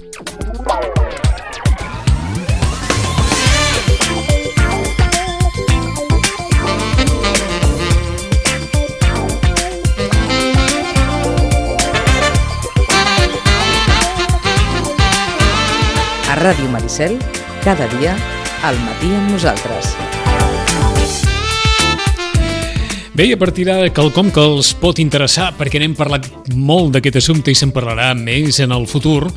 A Ràdio Maricel, cada dia, al matí amb nosaltres. Bé, a partir d'ara, quelcom que els pot interessar, perquè n'hem parlat molt d'aquest assumpte i se'n parlarà més en el futur,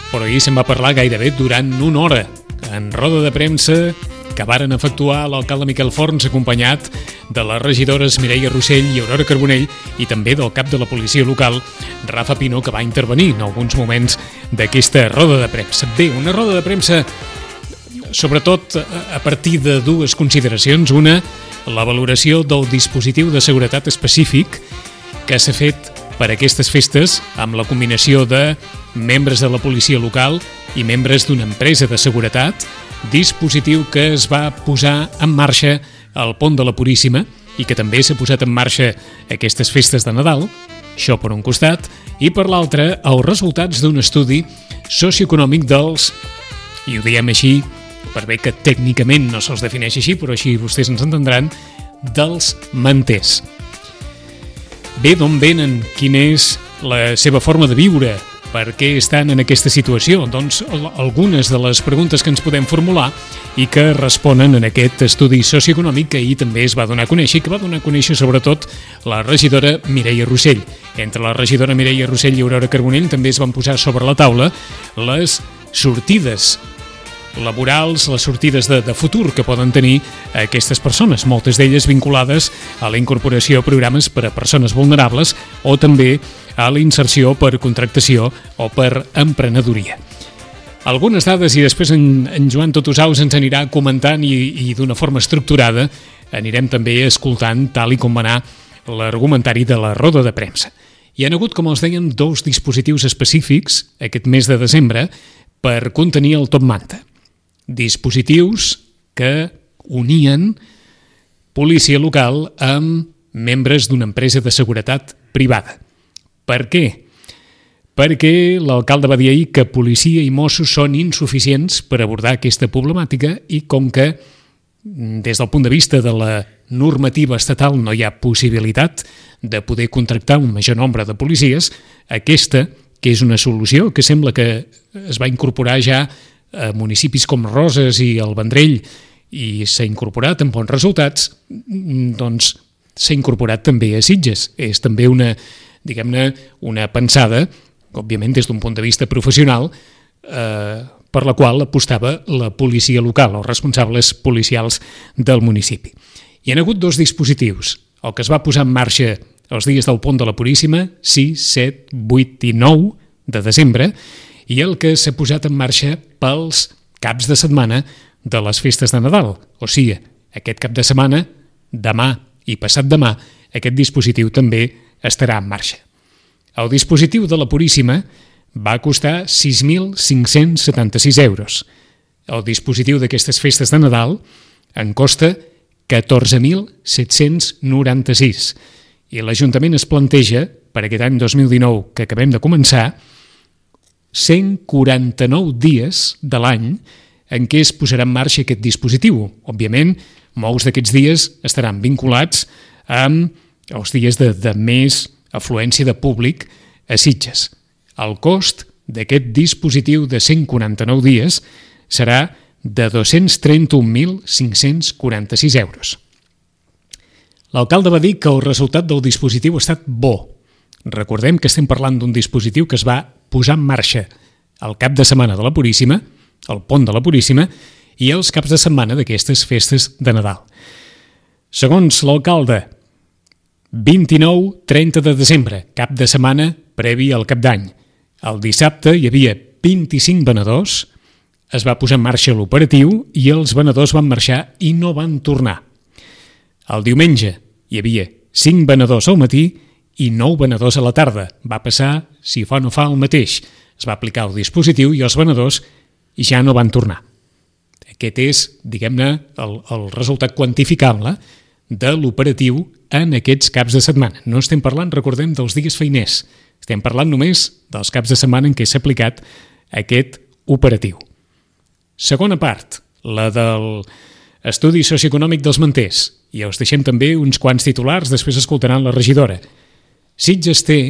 però ahir se'n va parlar gairebé durant una hora, en roda de premsa que varen efectuar l'alcalde Miquel Forns, acompanyat de les regidores Mireia Rossell i Aurora Carbonell, i també del cap de la policia local, Rafa Pino, que va intervenir en alguns moments d'aquesta roda de premsa. Bé, una roda de premsa sobretot a partir de dues consideracions. Una, la valoració del dispositiu de seguretat específic que s'ha fet per a aquestes festes amb la combinació de membres de la policia local i membres d'una empresa de seguretat, dispositiu que es va posar en marxa al Pont de la Puríssima i que també s'ha posat en marxa aquestes festes de Nadal, això per un costat, i per l'altre els resultats d'un estudi socioeconòmic dels, i ho diem així, per bé que tècnicament no se'ls defineix així, però així vostès ens entendran, dels manters. Bé, d'on venen? Quina és la seva forma de viure? Per què estan en aquesta situació? Doncs algunes de les preguntes que ens podem formular i que responen en aquest estudi socioeconòmic que ahir també es va donar a conèixer i que va donar a conèixer sobretot la regidora Mireia Rossell. Entre la regidora Mireia Rossell i Aurora Carbonell també es van posar sobre la taula les sortides laborals, les sortides de futur que poden tenir aquestes persones, moltes d'elles vinculades a la incorporació a programes per a persones vulnerables o també a la inserció per contractació o per emprenedoria. Algunes dades i després en Joan Totosaus ens anirà comentant i d'una forma estructurada anirem també escoltant tal i com va anar l'argumentari de la roda de premsa. Hi ha hagut, com els dèiem, dos dispositius específics aquest mes de desembre per contenir el top manta. Dispositius que unien policia local amb membres d'una empresa de seguretat privada. Per què? Perquè l'alcalde va dir ahir que policia i Mossos són insuficients per abordar aquesta problemàtica i com que des del punt de vista de la normativa estatal no hi ha possibilitat de poder contractar un major nombre de policies, aquesta, que és una solució que sembla que es va incorporar ja a municipis com Roses i el Vendrell i s'ha incorporat amb bons resultats, doncs s'ha incorporat també a Sitges. És també una, diguem-ne, una pensada, òbviament des d'un punt de vista professional, per la qual apostava la policia local, els responsables policials del municipi. Hi ha hagut dos dispositius, el que es va posar en marxa els dies del Pont de la Puríssima, 6, 7, 8 i 9 de desembre, i el que s'ha posat en marxa pels caps de setmana de les festes de Nadal. O sigui, aquest cap de setmana, demà i passat demà, aquest dispositiu també estarà en marxa. El dispositiu de la Puríssima va costar 6.576 euros. El dispositiu d'aquestes festes de Nadal en costa 14.796. I l'Ajuntament es planteja, per aquest any 2019 que acabem de començar, 149 dies de l'any en què es posarà en marxa aquest dispositiu. Òbviament, molts d'aquests dies estaran vinculats amb els dies de més afluència de públic a Sitges. El cost d'aquest dispositiu de 149 dies serà de 231.546 euros. L'alcalde va dir que el resultat del dispositiu ha estat bo. Recordem que estem parlant d'un dispositiu que es va posar en marxa el cap de setmana de la Puríssima, el Pont de la Puríssima, i els caps de setmana d'aquestes festes de Nadal. Segons l'alcalde, 29-30 de desembre, cap de setmana previ al cap d'any. El dissabte hi havia 25 venedors, es va posar en marxa l'operatiu i els venedors van marxar i no van tornar. El diumenge hi havia 5 venedors al matí i 9 venedors a la tarda. Va passar, si fa o no fa, el mateix. Es va aplicar el dispositiu i els venedors ja no van tornar. Aquest és, diguem-ne, el resultat quantificable de l'operatiu en aquests caps de setmana. No estem parlant, recordem, dels dies feiners. Estem parlant només dels caps de setmana en què s'ha aplicat aquest operatiu. Segona part, la del estudi socioeconòmic dels manters. I us deixem també uns quants titulars, després escoltaran la regidora. Sitges té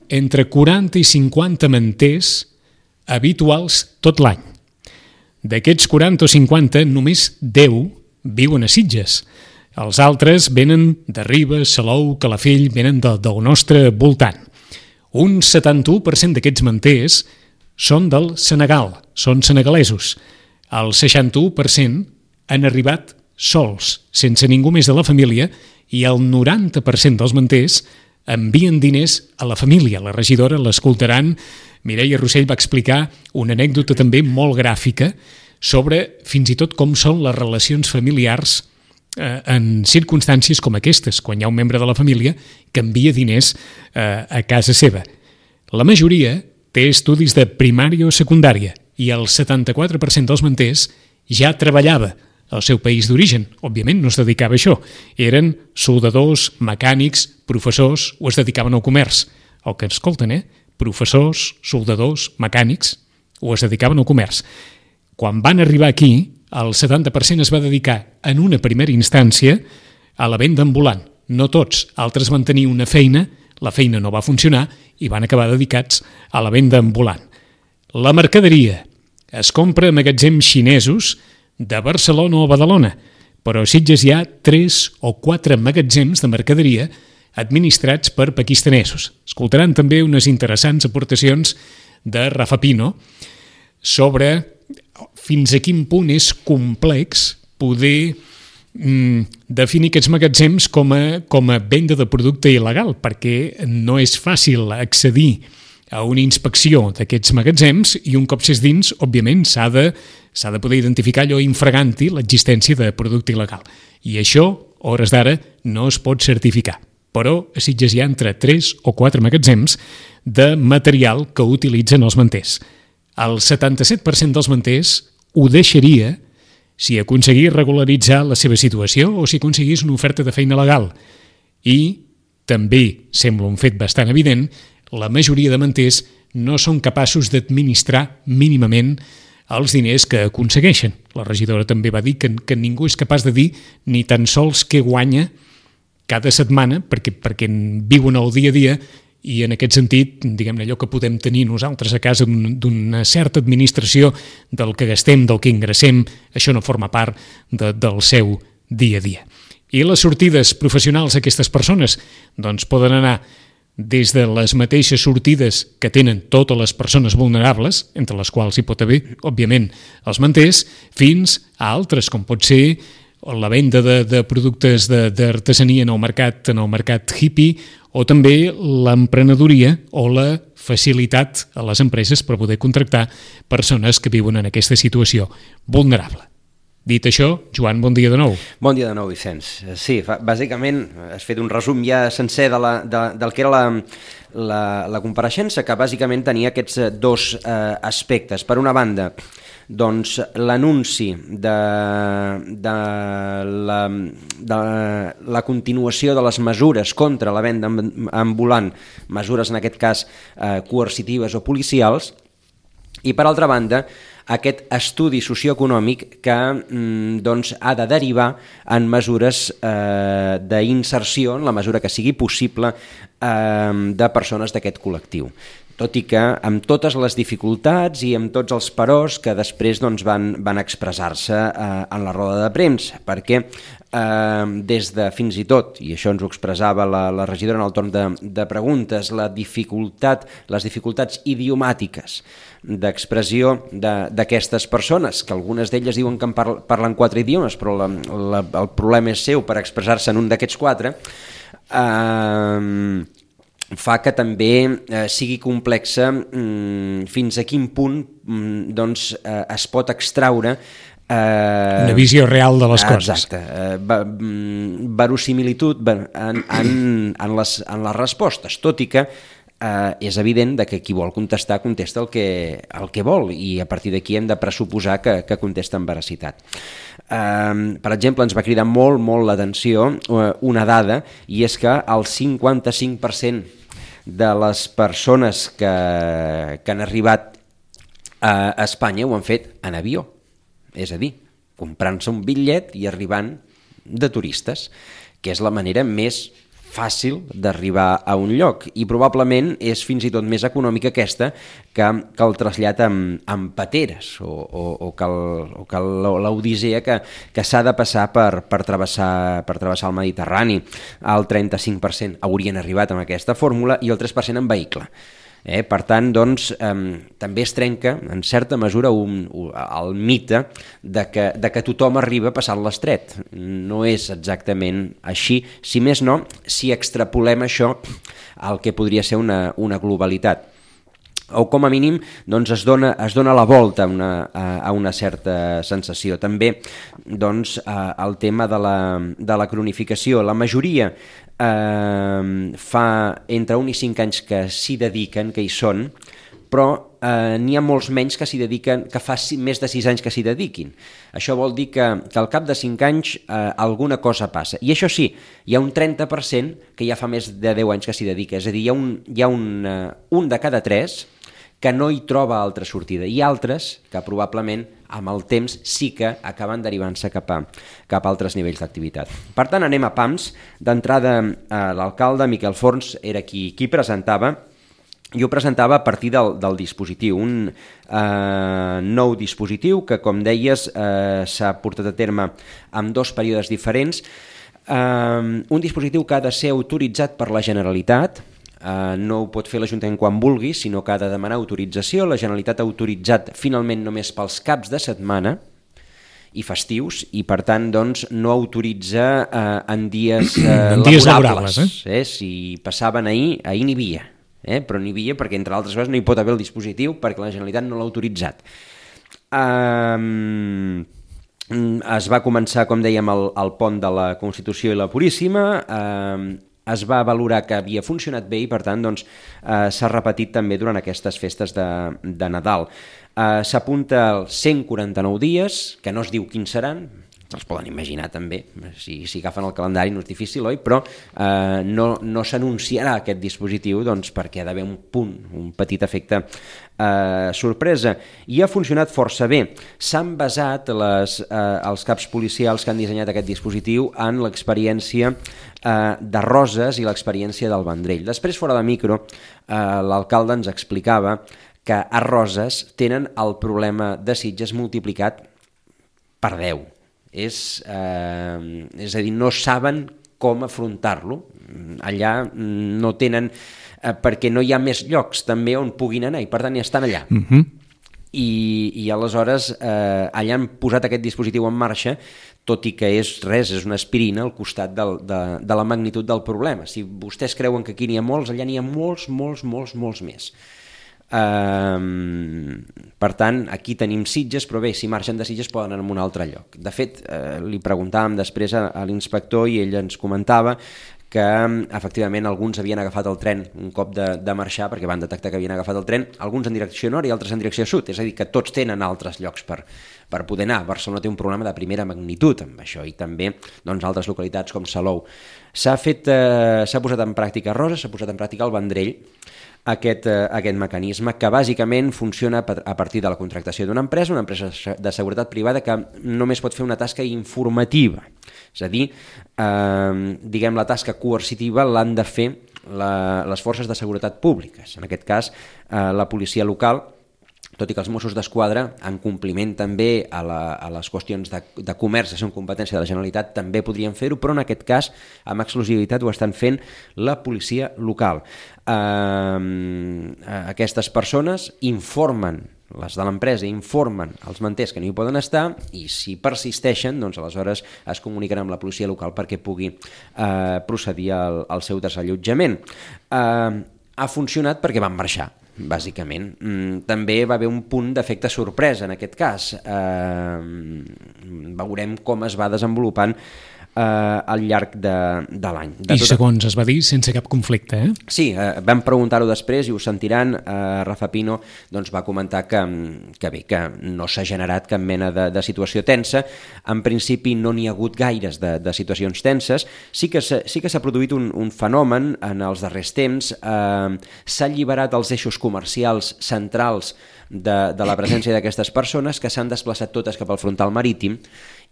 entre 40 i 50 manters habituals tot l'any. D'aquests 40 o 50, només 10 viuen a Sitges. Els altres venen de Ribes, Salou, Calafell, venen del nostre voltant. Un 71% d'aquests manters són del Senegal, són senegalesos. El 61% han arribat sols, sense ningú més de la família, i el 90% dels manters envien diners a la família. La regidora, l'escoltaran, Mireia Rossell va explicar una anècdota també molt gràfica sobre fins i tot com són les relacions familiars en circumstàncies com aquestes, quan hi ha un membre de la família que envia diners a casa seva. La majoria té estudis de primària o secundària i el 74% dels manters ja treballava al seu país d'origen. Òbviament no es dedicava a això. Eren soldadors, mecànics, professors o es dedicaven al comerç. El que escolten, professors, soldadors, mecànics o es dedicaven al comerç. Quan van arribar aquí, el 70% es va dedicar en una primera instància a la venda ambulant. No tots, altres van tenir una feina, la feina no va funcionar i van acabar dedicats a la venda ambulant. La mercaderia es compra a magatzems xinesos de Barcelona o Badalona, però a Sitges hi ha 3 o 4 magatzems de mercaderia administrats per pakistanesos. Escoltaran també unes interessants aportacions de Rafa Pino sobre fins a quin punt és complex poder definir aquests magatzems com a venda de producte il·legal, perquè no és fàcil accedir a una inspecció d'aquests magatzems i un cop s'és dins, òbviament, s'ha de poder identificar allò infraganti l'existència de producte il·legal. I això, a hores d'ara, no es pot certificar. Però a Sitges hi ha entre 3 o 4 magatzems de material que utilitzen els manters. El 77% dels manters ho deixaria si aconseguís regularitzar la seva situació o si aconseguís una oferta de feina legal. I també sembla un fet bastant evident, la majoria de manters no són capaços d'administrar mínimament els diners que aconsegueixen. La regidora també va dir que ningú és capaç de dir ni tan sols què guanya cada setmana perquè viuen el dia a dia i en aquest sentit, diguem-ne, allò que podem tenir nosaltres a casa d'una certa administració del que gastem, del que ingressem, això no forma part del seu dia a dia. I les sortides professionals d'aquestes persones doncs poden anar des de les mateixes sortides que tenen totes les persones vulnerables, entre les quals hi pot haver, òbviament, els manters, fins a altres, com pot ser la venda de productes d'artesania en el mercat hippie, o també l'emprenedoria o la facilitat a les empreses per poder contractar persones que viuen en aquesta situació vulnerable. Dit això, Joan, bon dia de nou. Bon dia de nou, Vicenç. Sí, bàsicament has fet un resum ja sencer del que era la compareixença, que bàsicament tenia aquests dos aspectes. Per una banda, doncs l'anunci de la continuació de les mesures contra la venda ambulant, mesures en aquest cas coercitives o policials, i per altra banda aquest estudi socioeconòmic que doncs, ha de derivar en mesures d'inserció, en la mesura que sigui possible, de persones d'aquest col·lectiu. Tot i que amb totes les dificultats i amb tots els peròs que després doncs, van expressar-se en la roda de premsa, perquè des de fins i tot, i això ens ho expressava la regidora en el torn de preguntes, les dificultats idiomàtiques d'expressió d'aquestes persones, que algunes d'elles diuen que parlen 4 idiomes, però el problema és seu per expressar-se en un d'aquests 4, fa que també sigui complexa fins a quin punt doncs, es pot extraure una visió real de les coses. Exacte, verosimilitud en les respostes, tot i que és evident que qui vol contestar contesta el que vol i a partir d'aquí hem de pressuposar que contesta amb veracitat. Per exemple, ens va cridar molt l'atenció una dada, i és que el 55% de les persones que han arribat A Espanya ho han fet en avió, és a dir, comprant-se un bitllet i arribant de turistes, que és la manera més fàcil d'arribar a un lloc, i probablement és fins i tot més econòmica aquesta que el trasllat amb pateres o que l'odissea que s'ha de passar per travessar el Mediterrani. El 35% haurien arribat amb aquesta fórmula i el 3% en vehicle. Per tant, doncs, també es trenca, en certa mesura, el mite de que tothom arriba passant l'estret. No és exactament així, si més no, si extrapolem això al que podria ser una globalitat. O com a mínim doncs es dona la volta a una certa sensació. També doncs, el tema de la cronificació. La majoria fa entre 1 i 5 anys que s'hi dediquen, que hi són, però n'hi ha molts menys que s'hi dediquen, que fa més de 6 anys que s'hi dediquin. Això vol dir que al cap de 5 anys alguna cosa passa. I això sí, hi ha un 30% que ja fa més de 10 anys que s'hi dedica. És a dir, hi ha un de cada 3 que no hi troba altra sortida, i altres que probablement amb el temps sí que acaben derivant-se cap a altres nivells d'activitat. Per tant, anem a PAMS. D'entrada, l'alcalde Miquel Forns era qui presentava. Jo presentava a partir del dispositiu, un nou dispositiu que, com deies, s'ha portat a terme en 2 períodes diferents. Un dispositiu que ha de ser autoritzat per la Generalitat. No ho pot fer l'Ajuntament quan vulgui, sinó que ha de demanar autorització. La Generalitat ha autoritzat finalment només pels caps de setmana i festius, i per tant doncs, no autoritza en dies laborables. Si passaven ahir n'hi havia, però n'hi havia perquè, entre altres coses, no hi pot haver el dispositiu perquè la Generalitat no l'ha autoritzat. Es va començar, com dèiem, el pont de la Constitució i la Puríssima. Es va valorar que havia funcionat bé i, per tant, doncs, s'ha repetit també durant aquestes festes de Nadal. S'apunta als 149 dies, que no es diu quins seran, se'ls poden imaginar també, si agafen el calendari no és difícil, oi? Però no s'anunciarà aquest dispositiu doncs, perquè ha d'haver un petit efecte sorpresa, i ha funcionat força bé. S'han basat els caps policials que han dissenyat aquest dispositiu en l'experiència de Roses i l'experiència del Vendrell. Després, fora de micro, l'alcalde ens explicava que a Roses tenen el problema de Sitges multiplicat per 10. És a dir, no saben com afrontar-lo. Allà no tenen, perquè no hi ha més llocs també on puguin anar, i per tant hi estan allà. I aleshores allà han posat aquest dispositiu en marxa, tot i que és una aspirina al costat de la magnitud del problema. Si vostès creuen que aquí n'hi ha molts, allà n'hi ha molts més. Per tant, aquí tenim Sitges, però bé, si marxen de Sitges poden anar a un altre lloc. De fet, li preguntàvem després a l'inspector i ell ens comentava que efectivament alguns havien agafat el tren un cop de marxar, perquè van detectar que havien agafat el tren, alguns en direcció nord i altres en direcció sud, és a dir, que tots tenen altres llocs per poder anar. Barcelona té un problema de primera magnitud amb això, i també doncs, altres localitats com Salou. S'ha posat en pràctica Roses, s'ha posat en pràctica el Vendrell, aquest mecanisme, que bàsicament funciona a partir de la contractació d'una empresa de seguretat privada que només pot fer una tasca informativa. És a dir, diguem, la tasca coercitiva l'han de fer les forces de seguretat públiques, en aquest cas la policia local, tot i que els Mossos d'Esquadra, en compliment també a les qüestions de comerç, que són competència de la Generalitat, també podrien fer-ho, però en aquest cas, amb exclusivitat, ho estan fent la policia local. Aquestes persones informen, les de l'empresa informen els manters que no hi poden estar, i si persisteixen, doncs aleshores es comuniquen amb la policia local perquè pugui procedir al seu desallotjament. Ha funcionat perquè van marxar, bàsicament. També va haver un punt d'efecte sorpresa en aquest cas. Veurem com es va desenvolupant al llarg de l'any. I segons es va dir, sense cap conflicte, eh? Sí, vam preguntar-ho després i ho sentiran. Rafa Pino doncs, va comentar que bé, que no s'ha generat cap mena de situació tensa. En principi no n'hi ha hagut gaires de situacions tenses. Sí que s'ha produït un fenomen en els darrers temps. S'ha alliberat els eixos comercials centrals de la presència d'aquestes persones, que s'han desplaçat totes cap al frontal marítim,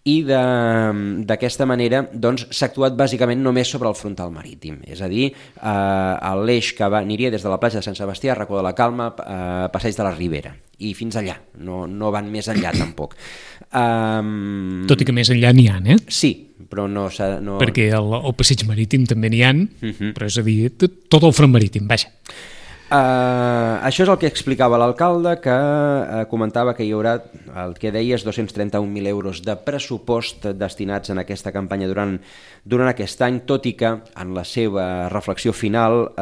i d'aquesta manera doncs, s'ha actuat bàsicament només sobre el frontal marítim, és a dir, l'eix que aniria des de la platja de Sant Sebastià, Racó de la Calma, Passeig de la Ribera, i fins allà, no van més enllà tampoc. Tot i que més enllà n'hi ha, eh? Sí, però no... Perquè al passeig marítim també n'hi ha, però és a dir, tot el front marítim, vaja. Això és el que explicava l'alcalde, que comentava que hi haurà, el que deies, 231.000 euros de pressupost destinats en aquesta campanya durant aquest any, tot i que en la seva reflexió final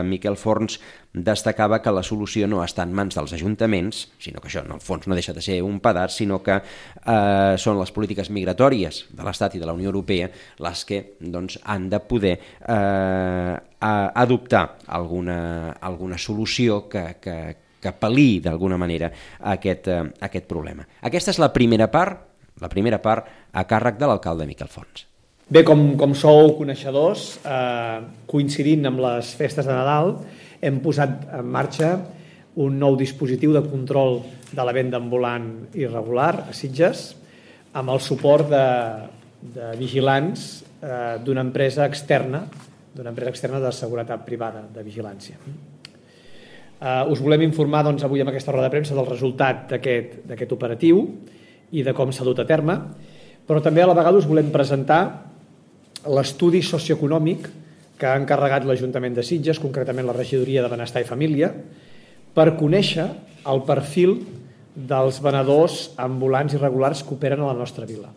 Miquel Forns destacava que la solució no està en mans dels ajuntaments, sinó que això en el fons no deixa de ser un pedaç, sinó que són les polítiques migratòries de l'Estat i de la Unió Europea les que doncs, han de poder adoptar alguna solució que pal·liï d'alguna manera aquest problema. Aquesta és la primera part a càrrec de l'alcalde Miquel Forns. Bé, com sou coneixedors, coincidint amb les festes de Nadal, hem posat en marxa un nou dispositiu de control de la venda ambulant irregular a Sitges, amb el suport de vigilants d'una empresa externa de seguretat privada, de vigilància. Us volem informar doncs, avui amb aquesta roda de premsa del resultat d'aquest operatiu i de com s'ha dut a terme, però també a la vegada us volem presentar l'estudi socioeconòmic que ha encarregat l'Ajuntament de Sitges, concretament la Regidoria de Benestar i Família, per conèixer el perfil dels venedors ambulants irregulars que operen a la nostra vila.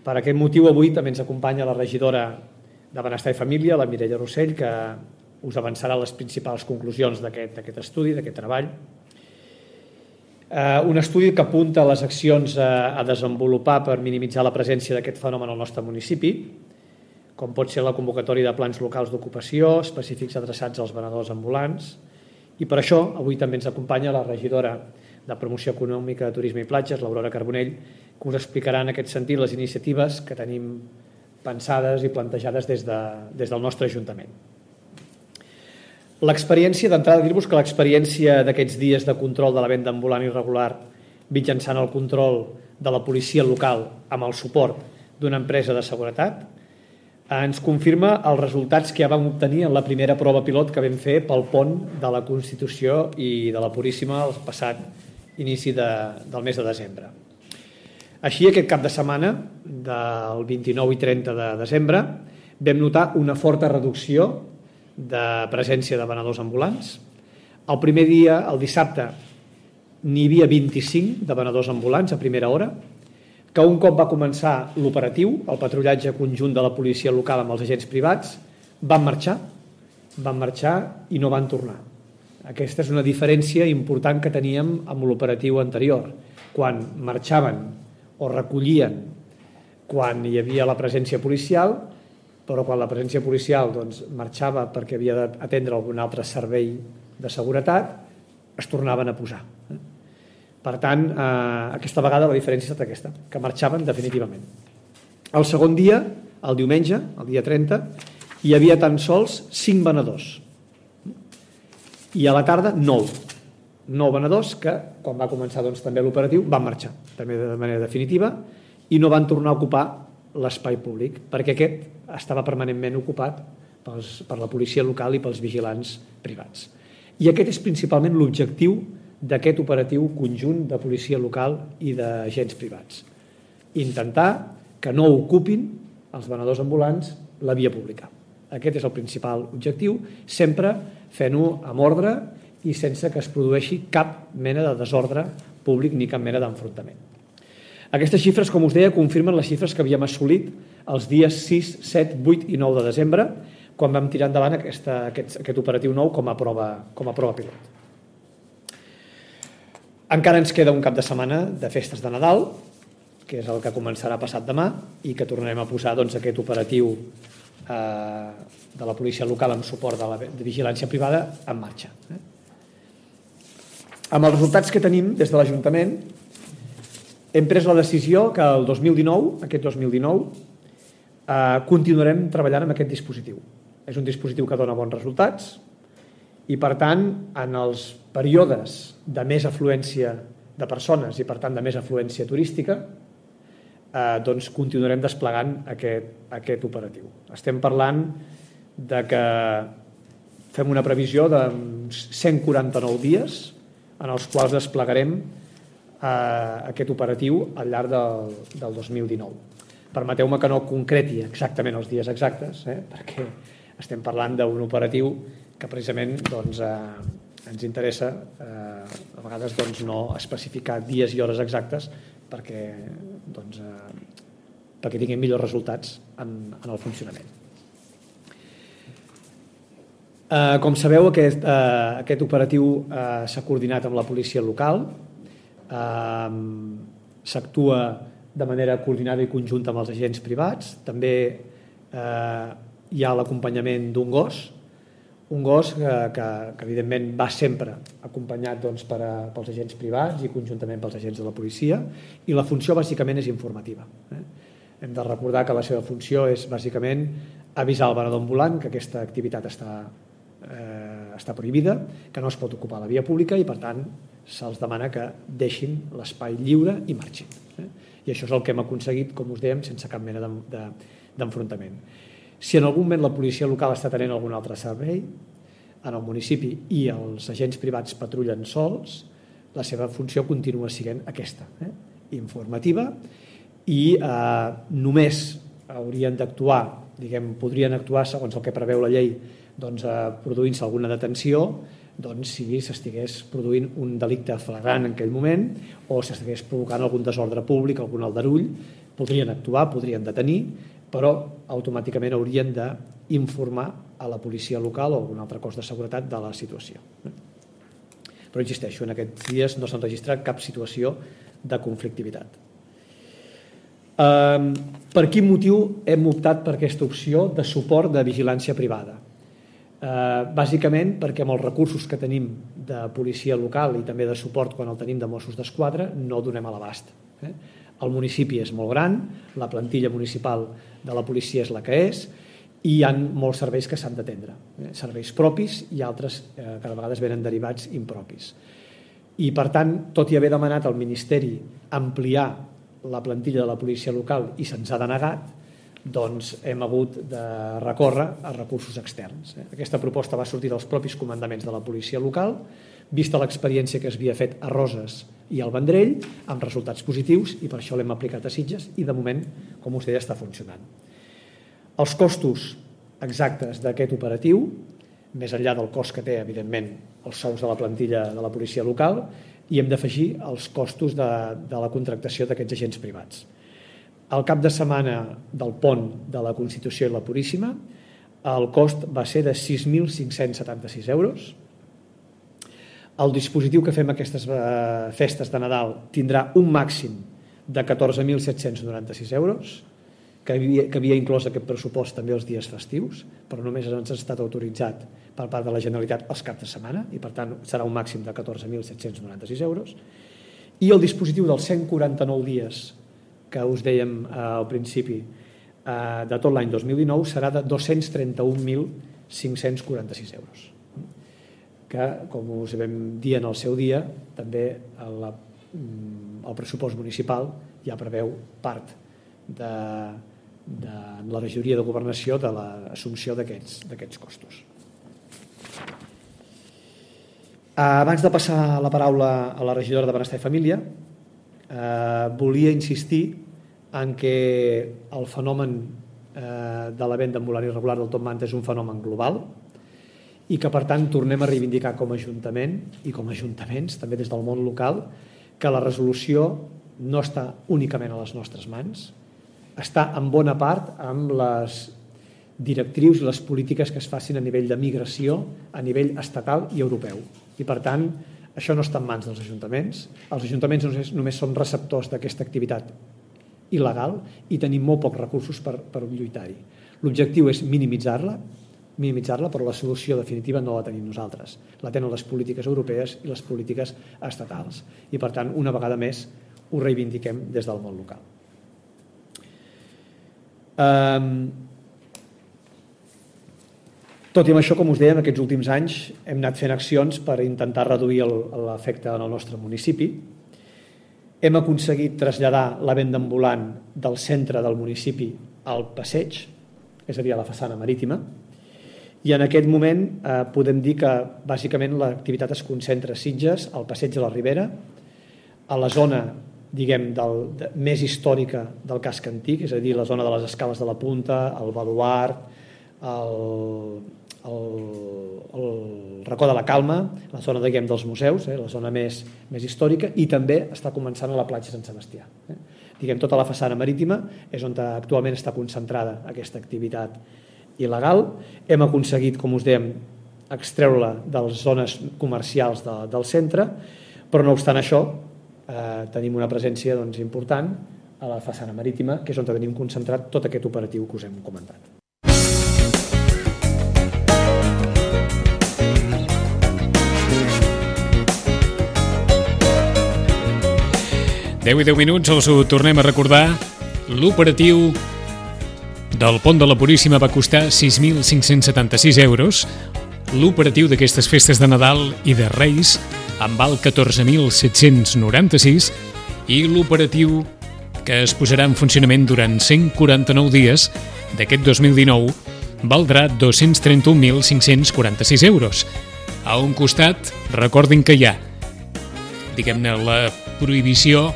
Per aquest motiu, avui també ens acompanya la regidora de Benestar i Família, la Mireia Rossell, que us avançarà les principals conclusions d'aquest estudi, d'aquest treball. Un estudi que apunta les accions a desenvolupar per minimitzar la presència d'aquest fenomen al nostre municipi, com pot ser la convocatòria de plans locals d'ocupació específics adreçats als venedors ambulants. I per això avui també ens acompanya la regidora de Promoció Econòmica de Turisme i Platges, l'Aurora Carbonell, que us explicarà en aquest sentit les iniciatives que tenim pensades i plantejades des del nostre Ajuntament. L'experiència, d'entrada dir-vos que l'experiència d'aquests dies de control de la venda ambulant irregular mitjançant el control de la policia local amb el suport d'una empresa de seguretat ens confirma els resultats que ja vam obtenir en la primera prova pilot que vam fer pel pont de la Constitució i de la Puríssima el passat inici del mes de desembre. Així, aquest cap de setmana, del 29 i 30 de desembre, vam notar una forta reducció de presència de venedors ambulants. El primer dia, el dissabte, n'hi havia 25 de venedors ambulants a primera hora, que un cop va començar l'operatiu, el patrullatge conjunt de la policia local amb els agents privats, van marxar i no van tornar. Aquesta és una diferència important que teníem amb l'operatiu anterior, quan marxaven o recollien quan hi havia la presència policial, però quan la presència policial marxava perquè havia d'atendre algun altre servei de seguretat, es tornaven a posar. Per tant, aquesta vegada la diferència ha estat aquesta, que marxaven definitivament. El segon dia, el diumenge, el dia 30, hi havia tan sols 5 venedors. I a la tarda 9 venedors que, quan va començar també l'operatiu, van marxar també de manera definitiva i no van tornar a ocupar l'espai públic, perquè aquest estava permanentment ocupat per la policia local i pels vigilants privats. I aquest és principalment l'objectiu d'aquest operatiu conjunt de policia local i d'agents privats. Intentar que no ocupin els venedors ambulants la via pública. Aquest és el principal objectiu, sempre fent-ho amb ordre i sense que es produeixi cap mena de desordre públic ni cap mena d'enfrontament. Aquestes xifres, com us deia, confirmen les xifres que havíem assolit els dies 6, 7, 8 i 9 de desembre, quan vam tirar endavant aquest operatiu nou com a prova pilot. Encara ens queda un cap de setmana de festes de Nadal, que és el que començarà passat demà i que tornarem a posar aquest operatiu de la policia local amb suport de vigilància privada en marxa. Amb els resultats que tenim des de l'Ajuntament, hem pres la decisió que el 2019, continuarem treballant amb aquest dispositiu. És un dispositiu que dona bons resultats i, per tant, en els períodes de més afluència de persones i, per tant, de més afluència turística, doncs continuarem desplegant aquest operatiu. Estem parlant de que fem una previsió de 149 dies en els quals desplegarem aquest operatiu al llarg del 2019. Permeteu-me que no concreti exactament els dies exactes, perquè estem parlant d'un operatiu que precisament ens interessa a vegades no especificar dies i hores exactes perquè tinguin millors resultats en el funcionament. Com sabeu, aquest operatiu s'ha coordinat amb la policia local, s'actua de manera coordinada i conjunta amb els agents privats. També hi ha l'acompanyament d'un gos que evidentment va sempre acompanyat pels agents privats i conjuntament pels agents de la policia, i la funció bàsicament és informativa. Hem de recordar que la seva funció és bàsicament avisar el venedor ambulant que aquesta activitat està prohibida, que no es pot ocupar la via pública i, per tant, se'ls demana que deixin l'espai lliure i marxin. I això és el que hem aconseguit, com us dèiem, sense cap mena d'enfrontament. Si en algun moment la policia local està tenint algun altre servei en el municipi i els agents privats patrullen sols, la seva funció continua sent aquesta, informativa, i només haurien d'actuar, podrien actuar segons el que preveu la llei, produint-se alguna detenció si s'estigués produint un delicte flagrant en aquell moment o s'estigués provocant algun desordre públic, algun aldarull. Podrien actuar, podrien detenir, però automàticament haurien d'informar a la policia local o algun altre cos de seguretat de la situació. Però insisteixo, en aquests dies no s'ha registrat cap situació de conflictivitat. Per quin motiu hem optat per aquesta opció de suport de vigilància privada? Bàsicament perquè amb els recursos que tenim de policia local i també de suport quan el tenim de Mossos d'Esquadra no donem a l'abast. El municipi és molt gran, la plantilla municipal de la policia és la que és i hi ha molts serveis que s'han d'atendre, serveis propis i altres que a vegades venen derivats impropis. I, per tant, tot i haver demanat al Ministeri ampliar la plantilla de la policia local i se'ns ha denegat, doncs hem hagut de recórrer a recursos externs. Aquesta proposta va sortir dels propis comandaments de la policia local, vista l'experiència que s'havia fet a Roses i al Vendrell, amb resultats positius, i per això l'hem aplicat a Sitges i, de moment, com us deia, està funcionant. Els costos exactes d'aquest operatiu, més enllà del cost que té, evidentment, els sous de la plantilla de la policia local, i hem d'afegir els costos de la contractació d'aquests agents privats. Al cap de setmana del pont de la Constitució i la Puríssima, el cost va ser de 6.576 euros. El dispositiu que fem aquestes festes de Nadal tindrà un màxim de 14.796 euros, que havia inclòs aquest pressupost també els dies festius, però només ens ha estat autoritzat per part de la Generalitat els caps de setmana, i per tant serà un màxim de 14.796 euros. I el dispositiu dels 149 dies que us dèiem al principi de tot l'any 2019 serà de 231.546 euros, que, com us vam dir en el seu dia, també el pressupost municipal ja preveu part de la regidoria de governació de l'assumpció d'aquests costos. Abans de passar la paraula a la regidora de Benestar i Família, volia insistir en que el fenomen de la venda ambulant irregular del top manta és un fenomen global i que, per tant, tornem a reivindicar com a Ajuntament i com a ajuntaments, també des del món local, que la resolució no està únicament a les nostres mans, està en bona part amb les directrius i les polítiques que es facin a nivell de migració, a nivell estatal i europeu. I, per tant, això no està en mans dels ajuntaments. Els ajuntaments només som receptors d'aquesta activitat il·legal i tenim molt pocs recursos per lluitar-hi. L'objectiu és minimitzar-la, però la solució definitiva no la tenim nosaltres. La tenen les polítiques europees i les polítiques estatals. I, per tant, una vegada més, ho reivindiquem des del món local. Tot i amb això, com us dèiem, aquests últims anys hem anat fent accions per intentar reduir l'efecte en el nostre municipi. Hem aconseguit traslladar la venda ambulant del centre del municipi al passeig, és a dir, a la façana marítima, i en aquest moment podem dir que bàsicament l'activitat es concentra a Sitges, al passeig de la Ribera, a la zona, diguem, més històrica del casc antic, és a dir, la zona de les escales de la Punta, el Baluart, el racó de la Calma, la zona, diguem, dels museus, la zona més històrica, i també està començant a la platja Sant Sebastià. Diguem, tota la façana marítima és on actualment està concentrada aquesta activitat il·legal. Hem aconseguit, com us dèiem, extreure-la de les zones comercials del centre, però no obstant això tenim una presència important a la façana marítima, que és on tenim concentrat tot aquest operatiu que us hem comentat. 10 i 10 minuts, els ho tornem a recordar. L'operatiu del Pont de la Puríssima va costar 6.576 euros. L'operatiu d'aquestes festes de Nadal i de Reis en val 14.796 i l'operatiu que es posarà en funcionament durant 149 dies d'aquest 2019 valdrà 231.546 euros. A un costat, recordin que hi ha, diguem-ne, la prohibició,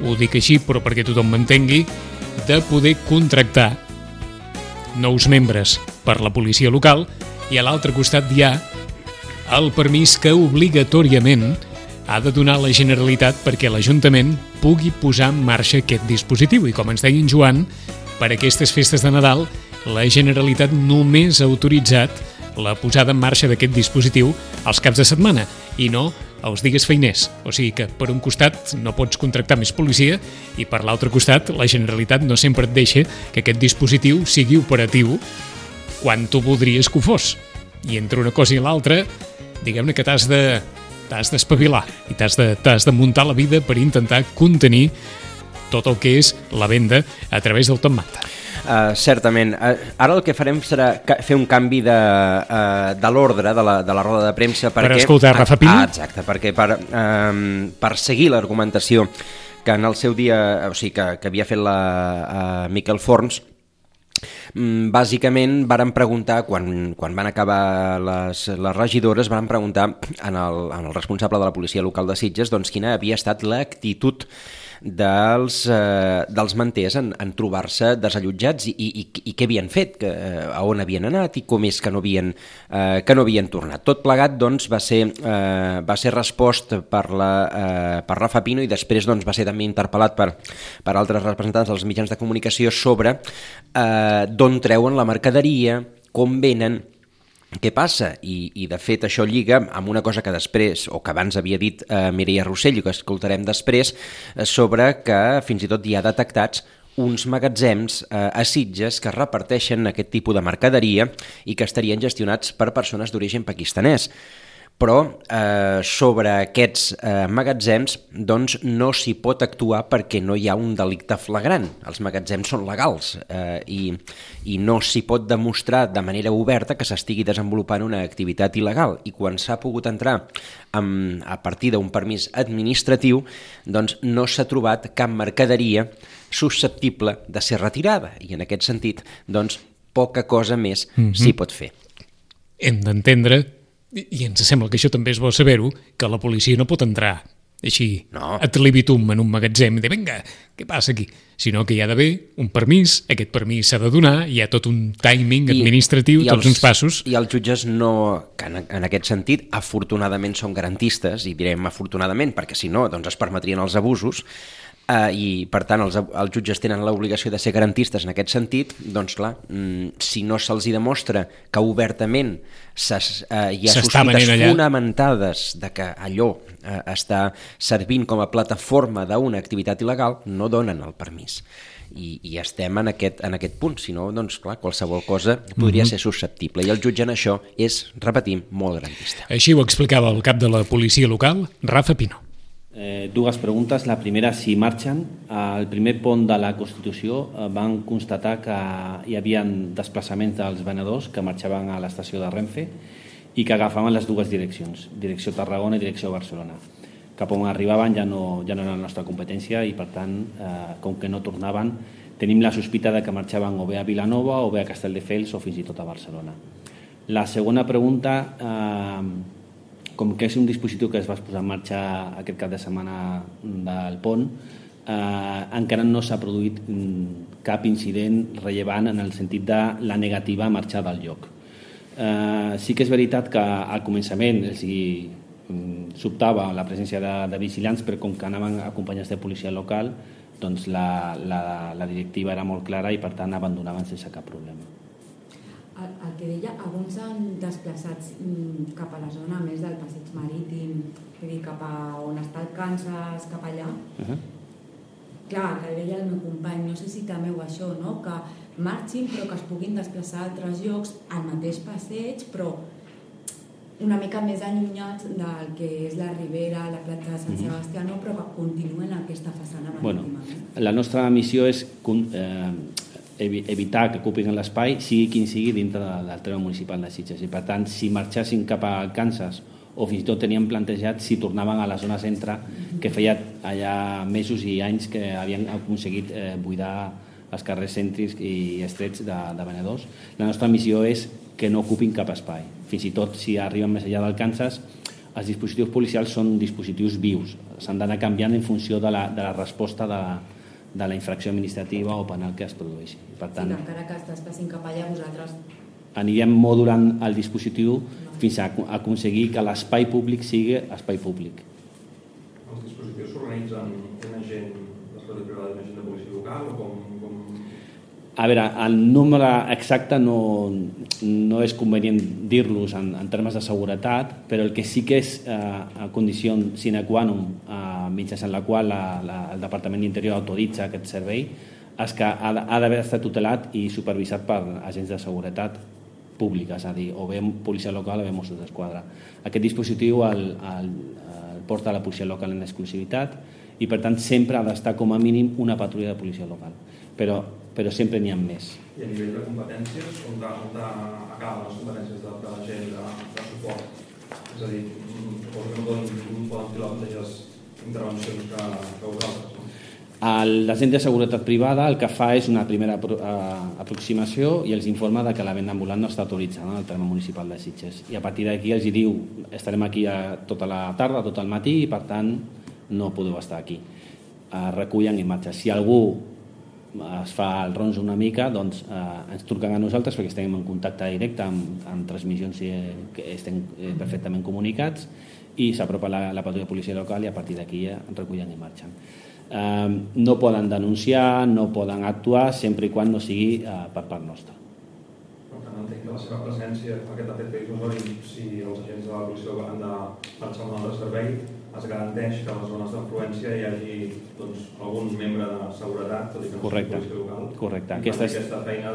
ho dic així però perquè tothom m'entengui, de poder contractar nous membres per la policia local, i a l'altre costat hi ha el permís que obligatòriament ha de donar la Generalitat perquè l'Ajuntament pugui posar en marxa aquest dispositiu. I com ens deia en Joan, per aquestes festes de Nadal la Generalitat només ha autoritzat la posada en marxa d'aquest dispositiu als caps de setmana i no els dies feiners. O sigui que per un costat no pots contractar més policia i per l'altre costat la Generalitat no sempre et deixa que aquest dispositiu sigui operatiu quan tu voldries que ho fos. I entre una cosa i l'altra, diguem-ne que t'has d'espavilar i t'has de muntar la vida per intentar contenir tot el que és la venda a través del Top Manta. Certament. Ara el que farem serà fer un canvi de l'ordre de la roda de premsa per escoltar Rafa Pini? Exacte, perquè per seguir l'argumentació que en el seu dia, o sigui, que havia fet la Miquel Forns, bàsicament varen preguntar, quan van acabar les regidores, varen preguntar en el responsable de la policia local de Sitges doncs quina havia estat l'actitud dels manters en trobar-se desallotjats i què havien fet, a on havien anat i com és que no havien tornat. Tot plegat doncs, va ser respost per Rafa Pino i després doncs, va ser també interpel·lat per altres representants dels mitjans de comunicació sobre d'on treuen la mercaderia, com venen, què passa? I de fet això lliga amb una cosa que després, o que abans havia dit Mireia Rossell, que escoltarem després, sobre que fins i tot hi ha detectats uns magatzems a Sitges que reparteixen aquest tipus de mercaderia i que estarien gestionats per persones d'origen pakistanès. Però sobre aquests magatzems doncs, no s'hi pot actuar perquè no hi ha un delicte flagrant. Els magatzems són legals i no s'hi pot demostrar de manera oberta que s'estigui desenvolupant una activitat il·legal. I quan s'ha pogut entrar a partir d'un permís administratiu, doncs no s'ha trobat cap mercaderia susceptible de ser retirada. I en aquest sentit, doncs, poca cosa més s'hi pot fer. Hem d'entendre, i ens sembla que això també és bo saber-ho, que la policia no pot entrar així, ad libitum, en un magatzem i dir, vinga, què passa aquí? Sinó que hi ha d'haver un permís, aquest permís s'ha de donar, hi ha tot un timing administratiu, tots uns passos. I els jutges no, que en aquest sentit, afortunadament són garantistes, i direm afortunadament, perquè si no, doncs es permetrien els abusos, i per tant els jutges tenen l'obligació de ser garantistes en aquest sentit, doncs clar, si no se'ls demostra que obertament hi ha sospites fonamentades de que allò està servint com a plataforma d'una activitat il·legal, no donen el permís. I estem en aquest punt, si no, doncs clar, qualsevol cosa podria ser susceptible, i el jutge en això és, repetim, molt garantista. Així ho explicava el cap de la policia local, Rafa Pino. Dues preguntes. La primera, si marxen. Al primer pont de la Constitució van constatar que hi havia desplaçaments dels venedors que marxaven a l'estació de Renfe i que agafaven les dues direccions, direcció Tarragona i direcció Barcelona. Cap on arribaven ja no era la nostra competència i, per tant, com que no tornaven, tenim la sospita de que marxaven o bé a Vilanova o bé a Castelldefels o fins i tot a Barcelona. La segona pregunta, com que és un dispositiu que es va posar en marxa aquest cap de setmana del pont, encara no s'ha produït cap incident rellevant en el sentit de la negativa a marxar del lloc. Sí que és veritat que al començament sobtava la presència de vigilants, però com que anaven acompanyats de policia local, doncs la directiva era molt clara i per tant abandonaven sense cap problema. El que deia, alguns s'han desplaçat cap a la zona més del passeig marítim, cap a on està el Kansas, cap allà. Clar, que deia el meu company, no sé si temeu això, no? Que marxin però que es puguin desplaçar a altres llocs al mateix passeig, però una mica més allunyats del que és la Ribera, la platja de Sant Sebastià, però que continuen aquesta façana marítima. La nostra missió és evitar que ocupin l'espai, sigui quin sigui, dintre del terme municipal de Sitges. I per tant, si marxessin cap al Kansas o fins i tot tenien plantejat si tornaven a la zona centre, que feia allà mesos i anys que havien aconseguit buidar els carrers cèntrics i estrets de venedors. La nostra missió és que no ocupin cap espai. Fins i tot si arriben més enllà del Kansas, els dispositius policials són dispositius vius. S'han d'anar canviant en funció de la resposta de la infracció administrativa o penal que es produeixi. Per tant, sí, encara que es desplacin cap allà, vosaltres anirem modulant el dispositiu fins a aconseguir que l'espai públic sigui espai públic. Els dispositius s'organitzen un agent d'escola privada i un agent de policia local o com... A veure, el número exacte no és convenient dir-los en termes de seguretat, però el que sí que és a condició sine qua non, mitjançant la qual el Departament d'Interior autoritza aquest servei, és que ha d'haver estat tutelat i supervisat per agents de seguretat pública, és a dir, o bé policia local o bé Mossos d'Esquadra. Aquest dispositiu el porta la policia local en exclusivitat i, per tant, sempre ha d'estar com a mínim una patrulla de policia local. Però sempre n'hi ha més. I a nivell de competències, on acaben les competències de la gent de suport? És a dir, suposo que no poden fer les mateixes intervencions que vosaltres, no? L'agent de seguretat privada el que fa és una primera aproximació i els informa que la venda ambulant no està autoritzada en el terme municipal de Sitges. I a partir d'aquí els diu estarem aquí tota la tarda, tot el matí, i per tant no podeu estar aquí. Recullen i marxen. Si algú es fa el ronso una mica, doncs ens truquen a nosaltres perquè estem en contacte directe amb transmissions que estem perfectament comunicats i s'apropa la patrulla de policia local i a partir d'aquí recullen i marxen. No poden denunciar, no poden actuar sempre i quan no sigui per part nostra. Per tant, entenc que la seva presència, aquest efecte dissuasori, si els agents de la policia han de marxar a un altre servei, es garanteix que a les zones d'influència hi hagi algun membre de seguretat, tot i que no sigui policia local. Correcte. Aquesta feina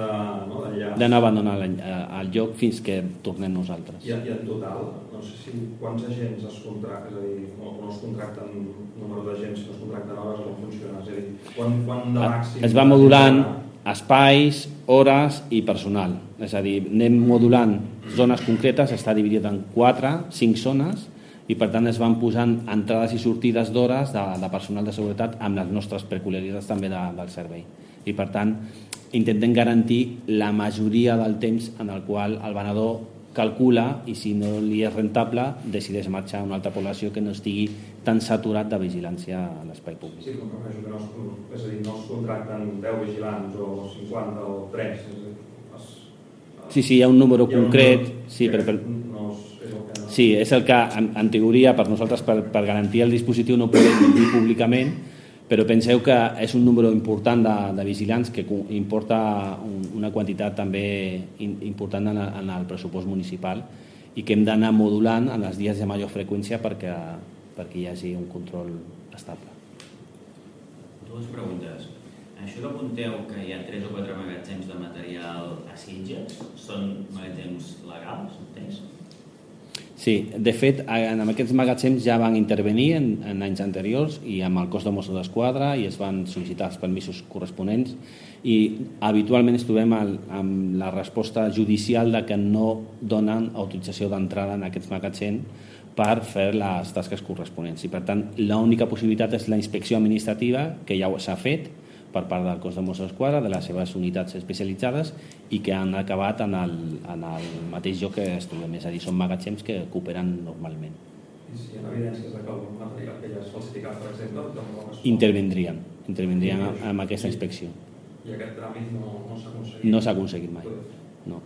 de no abandonar el lloc fins que tornem nosaltres. I en total, no sé si quants agents es contracten, és a dir, no es contracten número d'agents, no es contracten hores, com funciona? És a dir, quan de màxim... Es va modulant espais, hores i personal. És a dir, anem modulant zones concretes, està dividit en 4-5 zones, i per tant es van posant entrades i sortides d'hores de personal de seguretat amb les nostres peculiaritats també del servei. I per tant intentem garantir la majoria del temps en el qual el venedor calcula i si no li és rentable decideix marxar a una altra població que no estigui tan saturat de vigilància a l'espai públic. Sí, com que és a dir, no es contracten 10 vigilants o 50 o 3. Sí, hi ha un número concret. Sí, és el que en teoria per nosaltres per garantir el dispositiu no podem dir públicament, però penseu que és un número important de vigilants que importa una quantitat també important en el pressupost municipal i que hem d'anar modulant en els dies de major freqüència perquè perquè hi hagi un control estable. Dues preguntes. Això que apunteu que hi ha 3 o 4 magatzems de material a Sitges, són magatzems legals, entens? Sí, de fet, en aquests magatzems ja van intervenir en anys anteriors i amb el cos de Mossos d'Esquadra i es van sol·licitar els permisos corresponents i habitualment ens trobem amb la resposta judicial de que no donen autorització d'entrada en aquests magatzems per fer les tasques corresponents. I per tant, l'única possibilitat és la inspecció administrativa, que ja s'ha fet per part del cos de Mossos d'Esquadra, de les seves unitats especialitzades i que han acabat en el mateix lloc que es trobem, és a dir, són magatzems que cooperen normalment. I si hi ha evidències que el material que ja és falsificat, per exemple, intervindrien amb aquesta inspecció. I aquest tràmit no s'ha aconseguit? No s'ha aconseguit mai, no.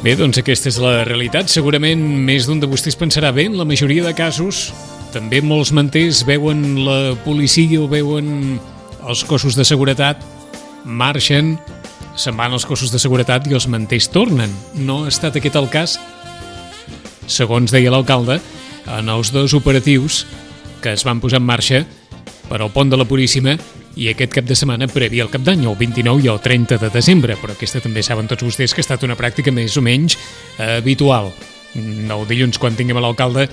Bé, doncs aquesta és la realitat. Segurament més d'un de vostès pensarà bé, en la majoria de casos també molts manters veuen la policia o veuen els cossos de seguretat, marxen, se'n van als cossos de seguretat i els manters tornen. No ha estat aquest el cas, segons deia l'alcalde, en els 2 operatius que es van posar en marxa per al pont de la Puríssima i aquest cap de setmana previ al Cap d'Any, el 29 i el 30 de desembre, però aquesta també saben tots vostès que ha estat una pràctica més o menys habitual. El dilluns, quan tinguem a l'alcalde,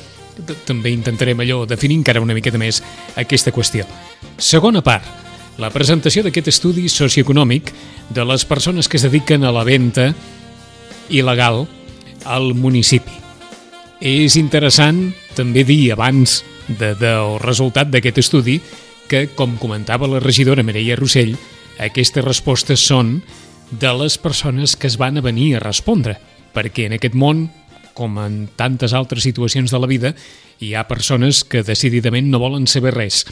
també intentarem allò definir encara una miqueta més aquesta qüestió. Segona part, la presentació d'aquest estudi socioeconòmic de les persones que es dediquen a la venda il·legal al municipi. És interessant també dir abans del resultat d'aquest estudi que, com comentava la regidora Mireia Rossell, aquestes respostes són de les persones que es van a venir a respondre, perquè en aquest món, com en tantes altres situacions de la vida, hi ha persones que decididament no volen saber res,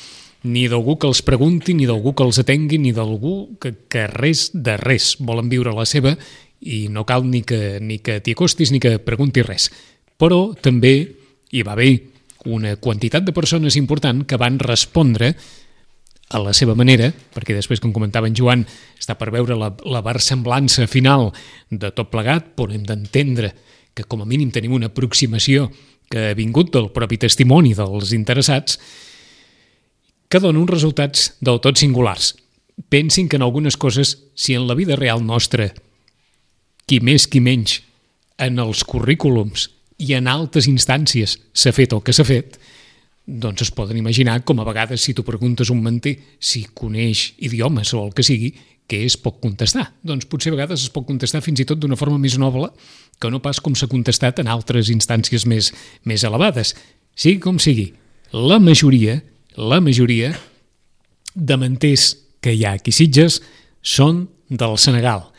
ni d'algú que els pregunti, ni d'algú que els atengui, ni d'algú que res de res. Volen viure la seva i no cal ni que t'hi acostis ni que preguntis res. Però també hi va haver una quantitat de persones important que van respondre a la seva manera, perquè després, com comentava en Joan, està per veure la versemblança final de tot plegat, però hem d'entendre que com a mínim tenim una aproximació que ha vingut del propi testimoni dels interessats, que dona uns resultats del tot singulars. Pensin que en algunes coses, si en la vida real nostra, qui més qui menys, en els currículums i en altres instàncies s'ha fet el que s'ha fet, doncs es poden imaginar com a vegades si tu preguntes un manter si coneix idiomes o el que sigui, què es pot contestar? Doncs potser a vegades es pot contestar fins i tot d'una forma més noble que no pas com s'ha contestat en altres instàncies més elevades. Sigui com sigui, la majoria de manters que hi ha aquí a Sitges són del Senegal.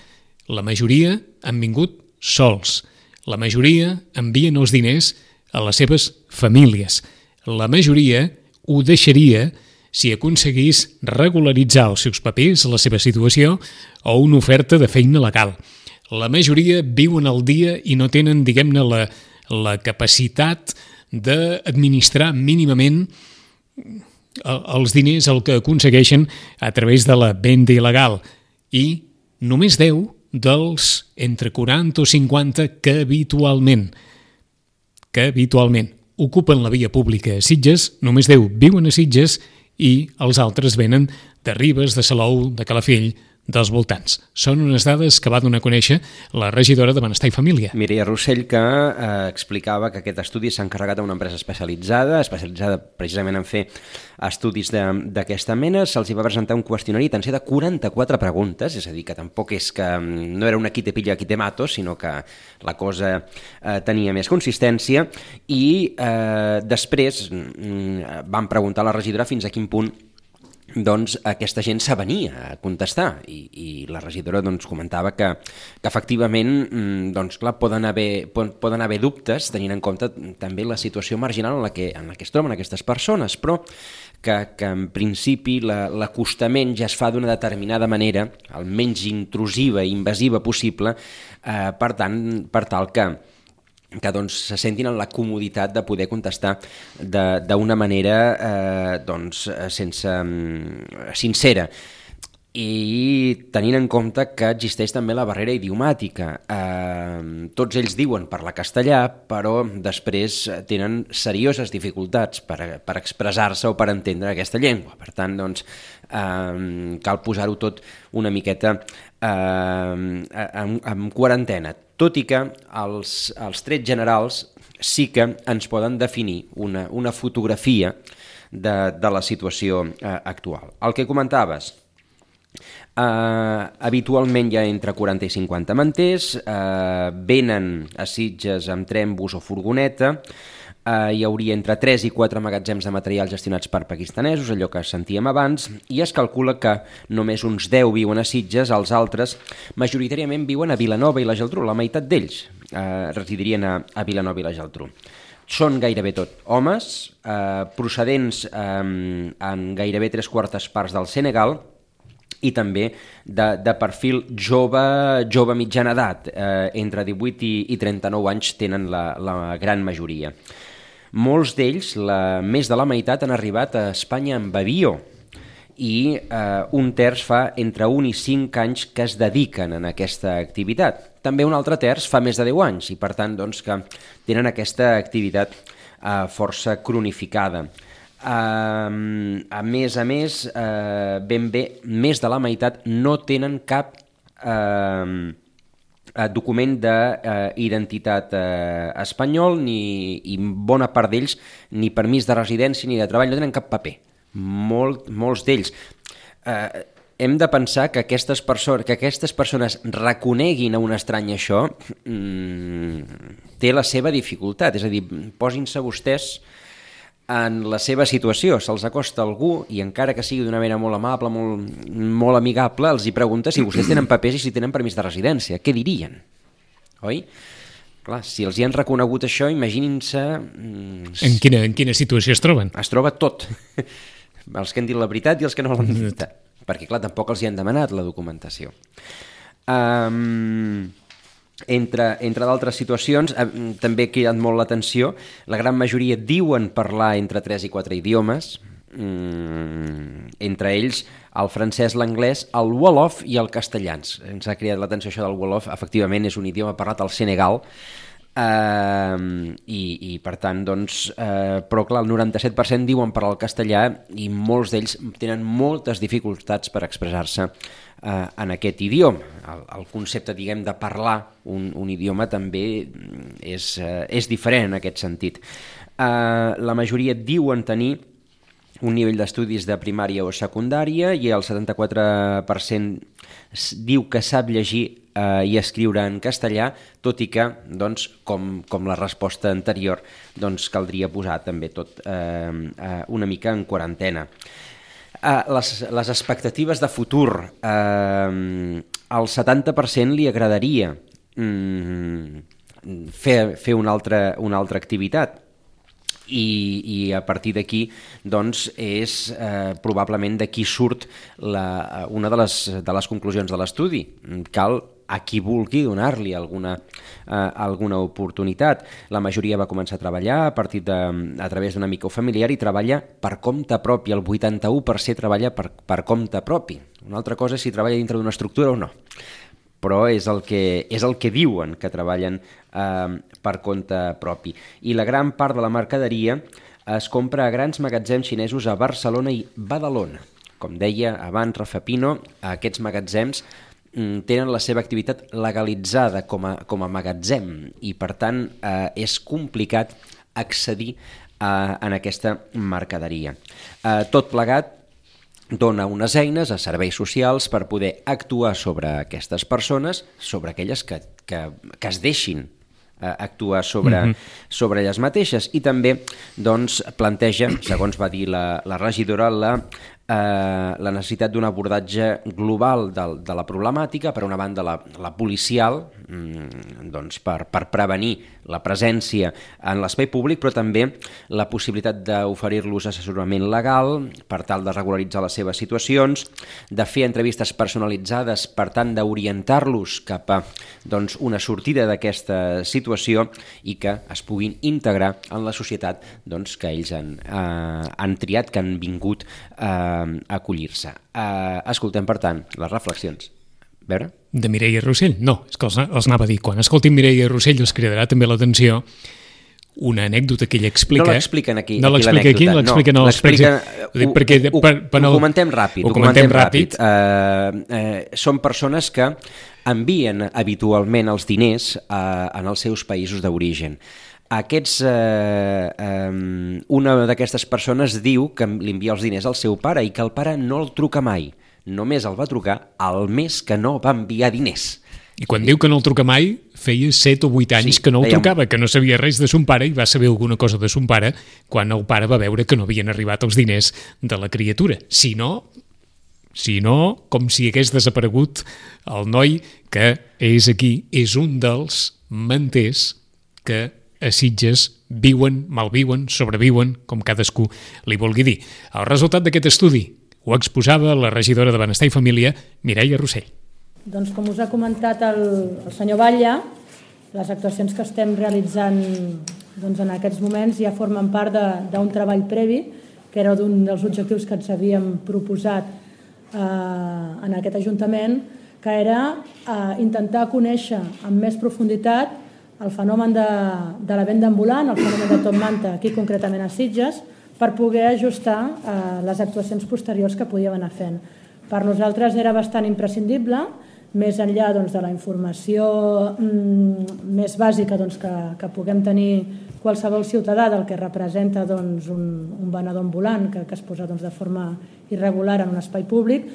La majoria han vingut sols. La majoria envien els diners a les seves famílies. La majoria ho deixaria si aconseguís regularitzar els seus papers, la seva situació o una oferta de feina legal. La majoria viuen al dia i no tenen, diguem-ne, la capacitat d'administrar mínimament els diners el que aconsegueixen a través de la venda il·legal. I només 10 dels entre 40 o 50 que habitualment ocupen la via pública a Sitges, només 10 viuen a Sitges i els altres venen de Ribes, de Salou, de Calafell, dels voltants. Són unes dades que va donar a conèixer la regidora de Benestar i Família. Mireia Rossell, que explicava que aquest estudi s'ha encarregat a una empresa especialitzada precisament en fer estudis d'aquesta mena. Se'ls va presentar un qüestionari tan ser de 44 preguntes, és a dir, que tampoc és que no era una qui te pilla, qui te mato, sinó que la cosa tenia més consistència i després van preguntar a la regidora fins a quin punt aquesta gent s'avenia a contestar i la regidora comentava que efectivament clar, poden haver dubtes tenint en compte també la situació marginal en la que es troben aquestes persones, però que en principi l'acostament ja es fa d'una determinada manera, el menys intrusiva i invasiva possible, per tal que se sentin en la comoditat de poder contestar d'una manera sincera. i tenint en compte que existeix també la barrera idiomàtica. Tots ells diuen parlar castellà, però després tenen serioses dificultats per expressar-se o per entendre aquesta llengua. Per tant, doncs, cal posar-ho tot una miqueta en quarantena, tot i que els trets generals sí que ens poden definir una fotografia de la situació actual. El que comentaves, habitualment hi ha entre 40 i 50 manters, venen a Sitges amb tren, bus o furgoneta, hi hauria entre 3 i 4 magatzems de material gestionats per pakistanesos, allò que sentíem abans, i es calcula que només uns 10 viuen a Sitges, els altres majoritàriament viuen a Vilanova i la Geltrú, la meitat d'ells residirien a Vilanova i la Geltrú. Són gairebé tot homes, procedents en gairebé 3/4 parts del Senegal, i també de perfil jove mitjana edat, entre 18 i 39 anys tenen la gran majoria. Molts d'ells, més de la meitat, han arribat a Espanya amb avió i un terç fa entre 1 i 5 anys que es dediquen a aquesta activitat. També un altre terç fa més de 10 anys i per tant doncs, que tenen aquesta activitat força cronificada. A més, ben bé, més de la meitat no tenen cap document d'identitat espanyol i bona part d'ells ni permís de residència ni de treball, no tenen cap paper. Molts d'ells. Hem de pensar que aquestes persones reconeguin a un estrany això té la seva dificultat, és a dir, posin-se vostès en la seva situació, se'ls acosta algú i encara que sigui d'una manera molt amable, molt amigable, els hi pregunta si vostès tenen papers i si tenen permís de residència. Què dirien? Oi? Clar, si els hi han reconegut això, imaginin-se... En quina situació es troben? Es troba tot. Els que han dit la veritat i els que no l'han dit. Perquè, clar, tampoc els hi han demanat la documentació. Entre d'altres situacions, també ha cridat molt l'atenció, la gran majoria diuen parlar entre 3 i 4 idiomes, entre ells el francès, l'anglès, el wolof i el castellans. Ens ha cridat l'atenció això del wolof, efectivament és un idioma parlat al Senegal, i per tant, doncs, però clar, el 97% diuen parlar el castellà i molts d'ells tenen moltes dificultats per expressar-se en aquest idioma. El concepte, diguem, de parlar un idioma també és diferent en aquest sentit. La majoria diuen tenir un nivell d'estudis de primària o secundària i el 74% diu que sap llegir i escriure en castellà, tot i que, doncs, com la resposta anterior, doncs, caldria posar també tot una mica en quarantena. Les expectatives de futur, al 70% li agradaria fer una altra activitat, i a partir d'aquí doncs és probablement d'aquí surt una de les conclusions de l'estudi. Cal a qui vulgui donar-li alguna oportunitat. La majoria va començar a treballar a través d'una mica familiar i treballa per compte propi. El 81% treballa per compte propi. Una altra cosa és si treballa dintre d'una estructura o no, però és el que diuen, que treballen per compte propi. I la gran part de la mercaderia es compra a grans magatzems xinesos a Barcelona i Badalona. Com deia abans Rafa Pino, aquests magatzems tenen la seva activitat legalitzada com a magatzem i per tant és complicat accedir en aquesta mercaderia. Tot plegat dona unes eines a serveis socials per poder actuar sobre aquestes persones, sobre aquelles que es deixin actuar sobre elles mateixes, i també doncs, planteja, segons va dir la regidora, la necessitat d'un abordatge global de la problemàtica, per una banda la policial, doncs, per prevenir la presència en l'espai públic, però també la possibilitat d'oferir-los assessorament legal per tal de regularitzar les seves situacions, de fer entrevistes personalitzades per tant d'orientar-los cap a doncs, una sortida d'aquesta situació i que es puguin integrar en la societat doncs, que ells han triat, que han vingut a acollir-se. Escoltem, per tant, les reflexions. A veure? De Mireia Rossell? No, és que els anava a dir. Quan escoltin Mireia Rossell us cridarà també l'atenció una anècdota que ella explica. No l'expliquen aquí, no l'explica aquí, l'expliquen als Ho comentem ràpid. Són persones que envien habitualment els diners en els seus països d'origen. Una d'aquestes persones diu que li envia els diners al seu pare i que el pare no el truca mai. Només el va trucar el mes que no va enviar diners. I quan diu que no el truca mai, feia 7 o 8 anys que no el trucava, que no sabia res de son pare i va saber alguna cosa de son pare quan el pare va veure que no havien arribat els diners de la criatura. Si no, com si hagués desaparegut el noi que és aquí, és un dels manters que a Sitges viuen, malviuen, sobreviuen, com cadascú li vulgui dir. El resultat d'aquest estudi ho exposava la regidora de Benestar i Família, Mireia Rossell. Doncs com us ha comentat el senyor Batlle, les actuacions que estem realitzant en aquests moments ja formen part d'un treball previ, que era un dels objectius que ens havíem proposat en aquest Ajuntament, que era intentar conèixer amb més profunditat el fenomen de la venda ambulant, el fenomen de top manta, aquí concretament a Sitges, per poder ajustar les actuacions posteriors que podíem anar fent. Per nosaltres era bastant imprescindible, més enllà de la informació més bàsica que puguem tenir qualsevol ciutadà del que representa un venedor ambulant que es posa de forma irregular en un espai públic,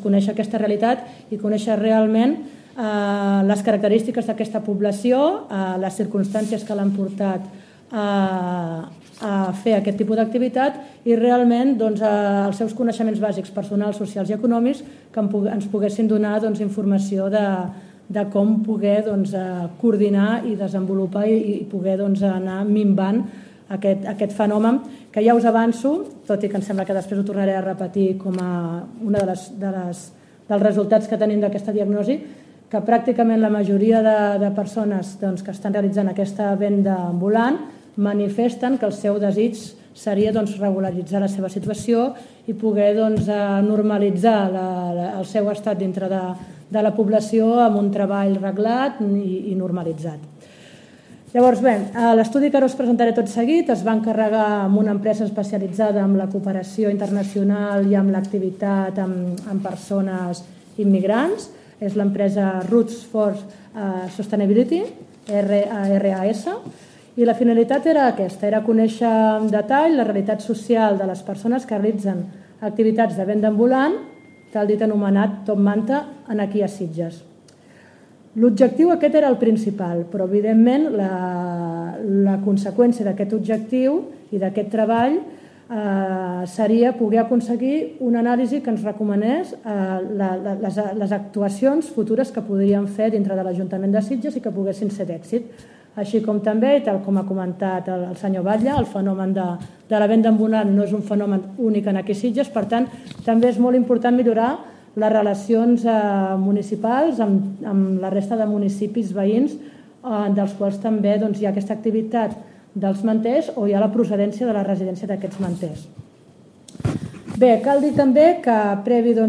conèixer aquesta realitat i conèixer realment les característiques d'aquesta població, les circumstàncies que l'han portat a fer aquest tipus d'activitat i realment els seus coneixements bàsics personals, socials i econòmics que ens poguessin donar informació de com poder coordinar i desenvolupar i poder anar minvant aquest fenomen que ja us avanço, tot i que em sembla que després ho tornaré a repetir com a una dels resultats que tenim d'aquesta diagnosi, que pràcticament la majoria de persones que estan realitzant aquesta venda ambulant manifesten que el seu desig seria regularitzar la seva situació i poder normalitzar el seu estat dintre de la població amb un treball reglat i normalitzat. Llavors, bé, l'estudi que ara us presentaré tot seguit es va encarregar amb una empresa especialitzada en la cooperació internacional i amb l'activitat amb persones immigrants. És l'empresa Roots for Sustainability, RAS, i la finalitat era aquesta, era conèixer en detall la realitat social de les persones que realitzen activitats de venda ambulant, tal dit anomenat top manta, aquí a Sitges. L'objectiu aquest era el principal, però evidentment la conseqüència d'aquest objectiu i d'aquest treball seria poder aconseguir una anàlisi que ens recomanés les actuacions futures que podríem fer dintre de l'Ajuntament de Sitges i que poguessin ser d'èxit. Així com també, tal com ha comentat el senyor Batlle, el fenomen de la venda ambulant no és un fenomen únic aquí a Sitges, per tant, també és molt important millorar les relacions municipals amb la resta de municipis veïns, dels quals també hi ha aquesta activitat dels manters o hi ha la procedència de la residència d'aquests manters. Bé, cal dir també que previ a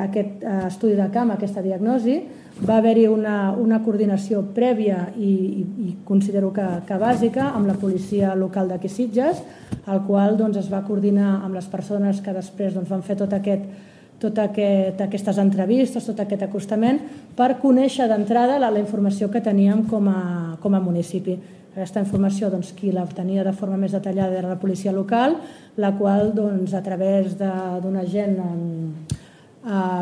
aquest estudi de camp, aquesta diagnosi, va haver-hi una coordinació prèvia i considero que bàsica amb la policia local d'aquí Sitges, el qual es va coordinar amb les persones que després van fer totes aquestes entrevistes, tot aquest acostament, per conèixer d'entrada la informació que teníem com a municipi. Aquesta informació, qui l'obtenia de forma més detallada era la policia local, la qual, a través d'un agent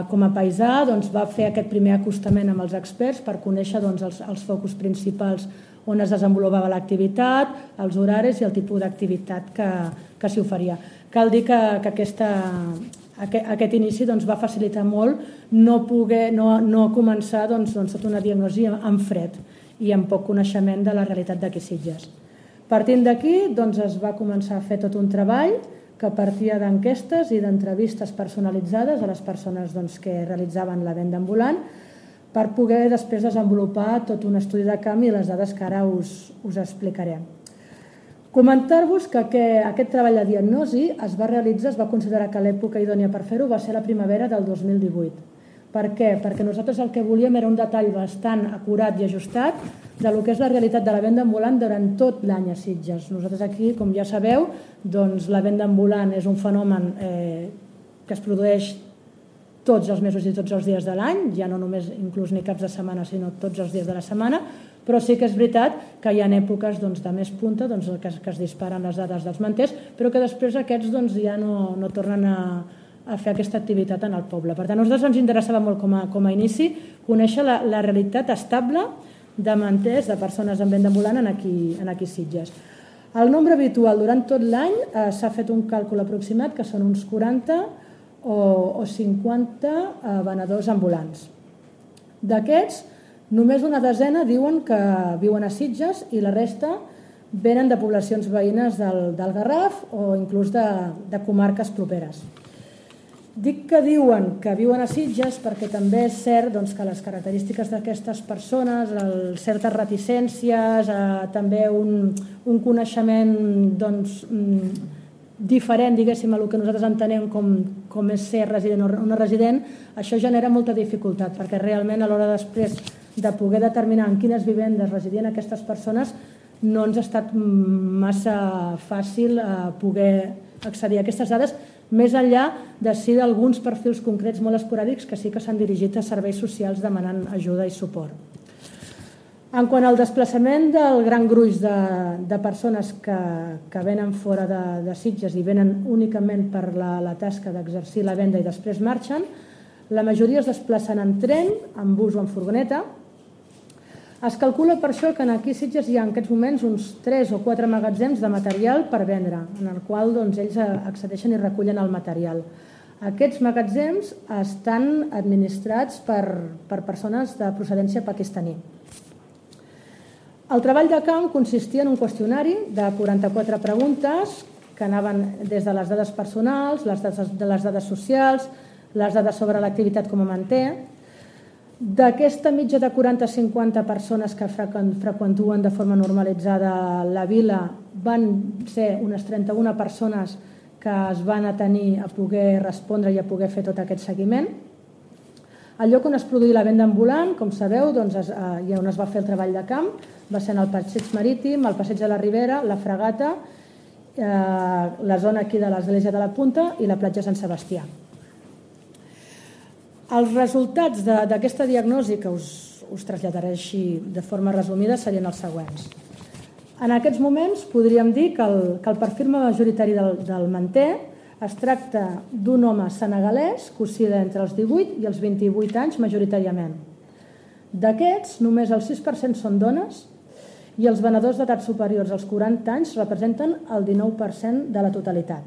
com a paisà, va fer aquest primer acostament amb els experts per conèixer els focus principals on es desenvolupava l'activitat, els horaris i el tipus d'activitat que s'hi oferia. Cal dir que aquest inici va facilitar molt no començar tota una diagnosi en fred i amb poc coneixement de la realitat d'aquí Sitges. Partint d'aquí es va començar a fer tot un treball que partia d'enquestes i d'entrevistes personalitzades a les persones que realitzaven la venda ambulant per poder després desenvolupar tot un estudi de camp i les dades que ara us explicaré. Comentar-vos que aquest treball de diagnosi es va realitzar, es va considerar que l'època idònia per fer-ho va ser la primavera del 2018. Per què? Perquè nosaltres el que volíem era un detall bastant acurat i ajustat de lo que és la realitat de la venda ambulant durant tot l'any a Sitges. Nosaltres aquí, com ja sabeu, doncs la venda ambulant és un fenomen que es produeix tots els mesos i tots els dies de l'any, ja no només inclús ni caps de setmana, sinó tots els dies de la setmana, però sí que és veritat que hi ha èpoques de més punta que es disparen les dades dels manters, però que després aquests ja no tornen a fer aquesta activitat en el poble. Per tant, a nosaltres ens interessava molt com a inici conèixer la realitat estable de manters, de persones en venda ambulant aquí a Sitges. El nombre habitual durant tot l'any s'ha fet un càlcul aproximat que són uns 40 o 50 venedors ambulants. D'aquests, només una desena diuen que viuen a Sitges i la resta venen de poblacions veïnes del Garraf o inclús de comarques properes. Dic que diuen que viuen a Sitges perquè també és cert que les característiques d'aquestes persones, certes reticències, també un coneixement diferent, diguéssim, a el que nosaltres entenem com és ser resident o no resident, això genera molta dificultat, perquè realment a l'hora després de poder determinar en quines vivendes residien aquestes persones no ens ha estat massa fàcil poder accedir a aquestes dades, més enllà de si d'alguns perfils concrets molt esporàdics que sí que s'han dirigit a serveis socials demanant ajuda i suport. En quant al desplaçament del gran gruix de persones que venen fora de Sitges i venen únicament per la tasca d'exercir la venda i després marxen, la majoria es desplacen en tren, en bus o en furgoneta. Es calcula per això que aquí a Sitges hi ha en aquests moments uns 3 o 4 magatzems de material per vendre, en el qual ells accedeixen i recullen el material. Aquests magatzems estan administrats per persones de procedència pakistaní. El treball de camp consistia en un qüestionari de 44 preguntes que anaven des de les dades personals, les dades socials, les dades sobre l'activitat com a manter. D'aquesta mitja de 40-50 persones que freqüentuen de forma normalitzada la vila, van ser unes 31 persones que es van atenir a poder respondre i a poder fer tot aquest seguiment. El lloc on es produïa la venda ambulant, com sabeu, i on es va fer el treball de camp, va ser en el passeig marítim, el passeig de la Ribera, la Fragata, la zona aquí de l'Església de la Punta i la platja Sant Sebastià. Els resultats d'aquesta diagnosi, que us traslladaré així de forma resumida, serien els següents. En aquests moments podríem dir que el perfil majoritari del manter es tracta d'un home senegalès que oscil·la entre els 18 i els 28 anys majoritàriament. D'aquests, només el 6% són dones i els venedors d'edat superiors als 40 anys representen el 19% de la totalitat.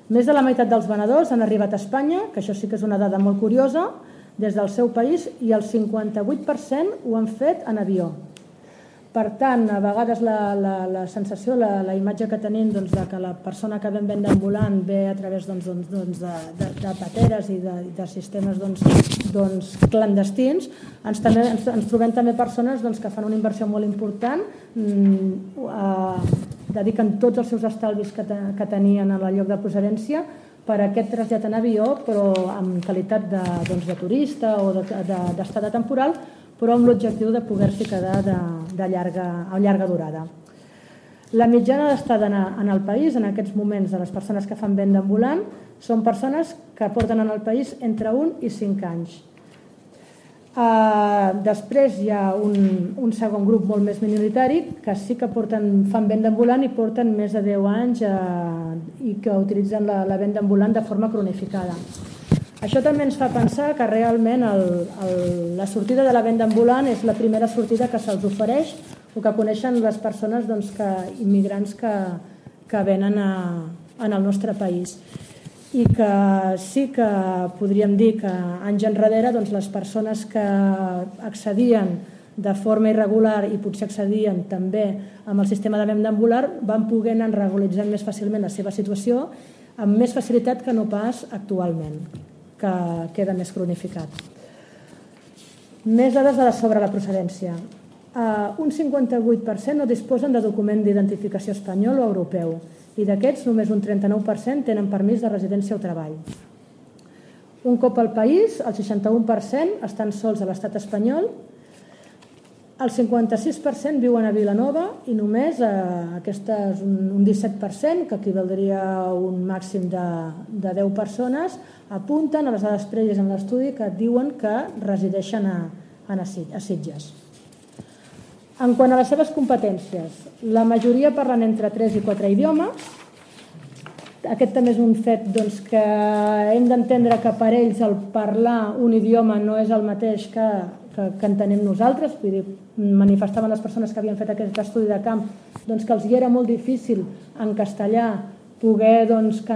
Més de la meitat dels venedors han arribat a Espanya, que això sí que és una dada molt curiosa, des del seu país, i el 58% ho han fet en avió. Per tant, a vegades la sensació, la imatge que tenim de que la persona que ven venda ambulant ve a través de pateres i de sistemes clandestins, ens trobem també persones que fan una inversió molt important, dediquen tots els seus estalvis que tenien en el lloc de procedència per a aquest trasllat en avió, però en qualitat de turista o d'estada temporal, però amb l'objectiu de poder-s'hi quedar a llarga durada. La mitjana d'estada en el país, en aquests moments, de les persones que fan venda ambulant, són persones que porten en el país entre 1 i 5 anys. Després hi ha un segon grup molt més minoritari que sí que fan venda ambulant i porten més de 10 anys i que utilitzen la venda ambulant de forma cronificada. Això també ens fa pensar que realment la sortida de la venda ambulant és la primera sortida que se'ls ofereix o que coneixen les persones immigrants que venen en el nostre país. I que sí que podríem dir que anys enrere les persones que accedien de forma irregular i potser accedien també amb el sistema de venda ambulant van poder anar regularitzant més fàcilment la seva situació amb més facilitat que no pas actualment, que queda més cronificat. Més dades sobre la procedència. un 58% no disposen de document d'identificació espanyol o europeu i d'aquests només un 39% tenen permís de residència o treball. Un cop al país, el 61% estan sols a l'estat espanyol, el 56% viuen a Vilanova i només un 17%, que equivaldria a un màxim de 10 persones, apunten a les dades prèvies en l'estudi que diuen que resideixen a Sitges. En quant a les seves competències, la majoria parlen entre 3 i 4 idiomes. Aquest també és un fet que hem d'entendre que per ells el parlar un idioma no és el mateix que entenem nosaltres. Vull dir, manifestaven les persones que havien fet aquest estudi de camp que els hi era molt difícil en castellà poder que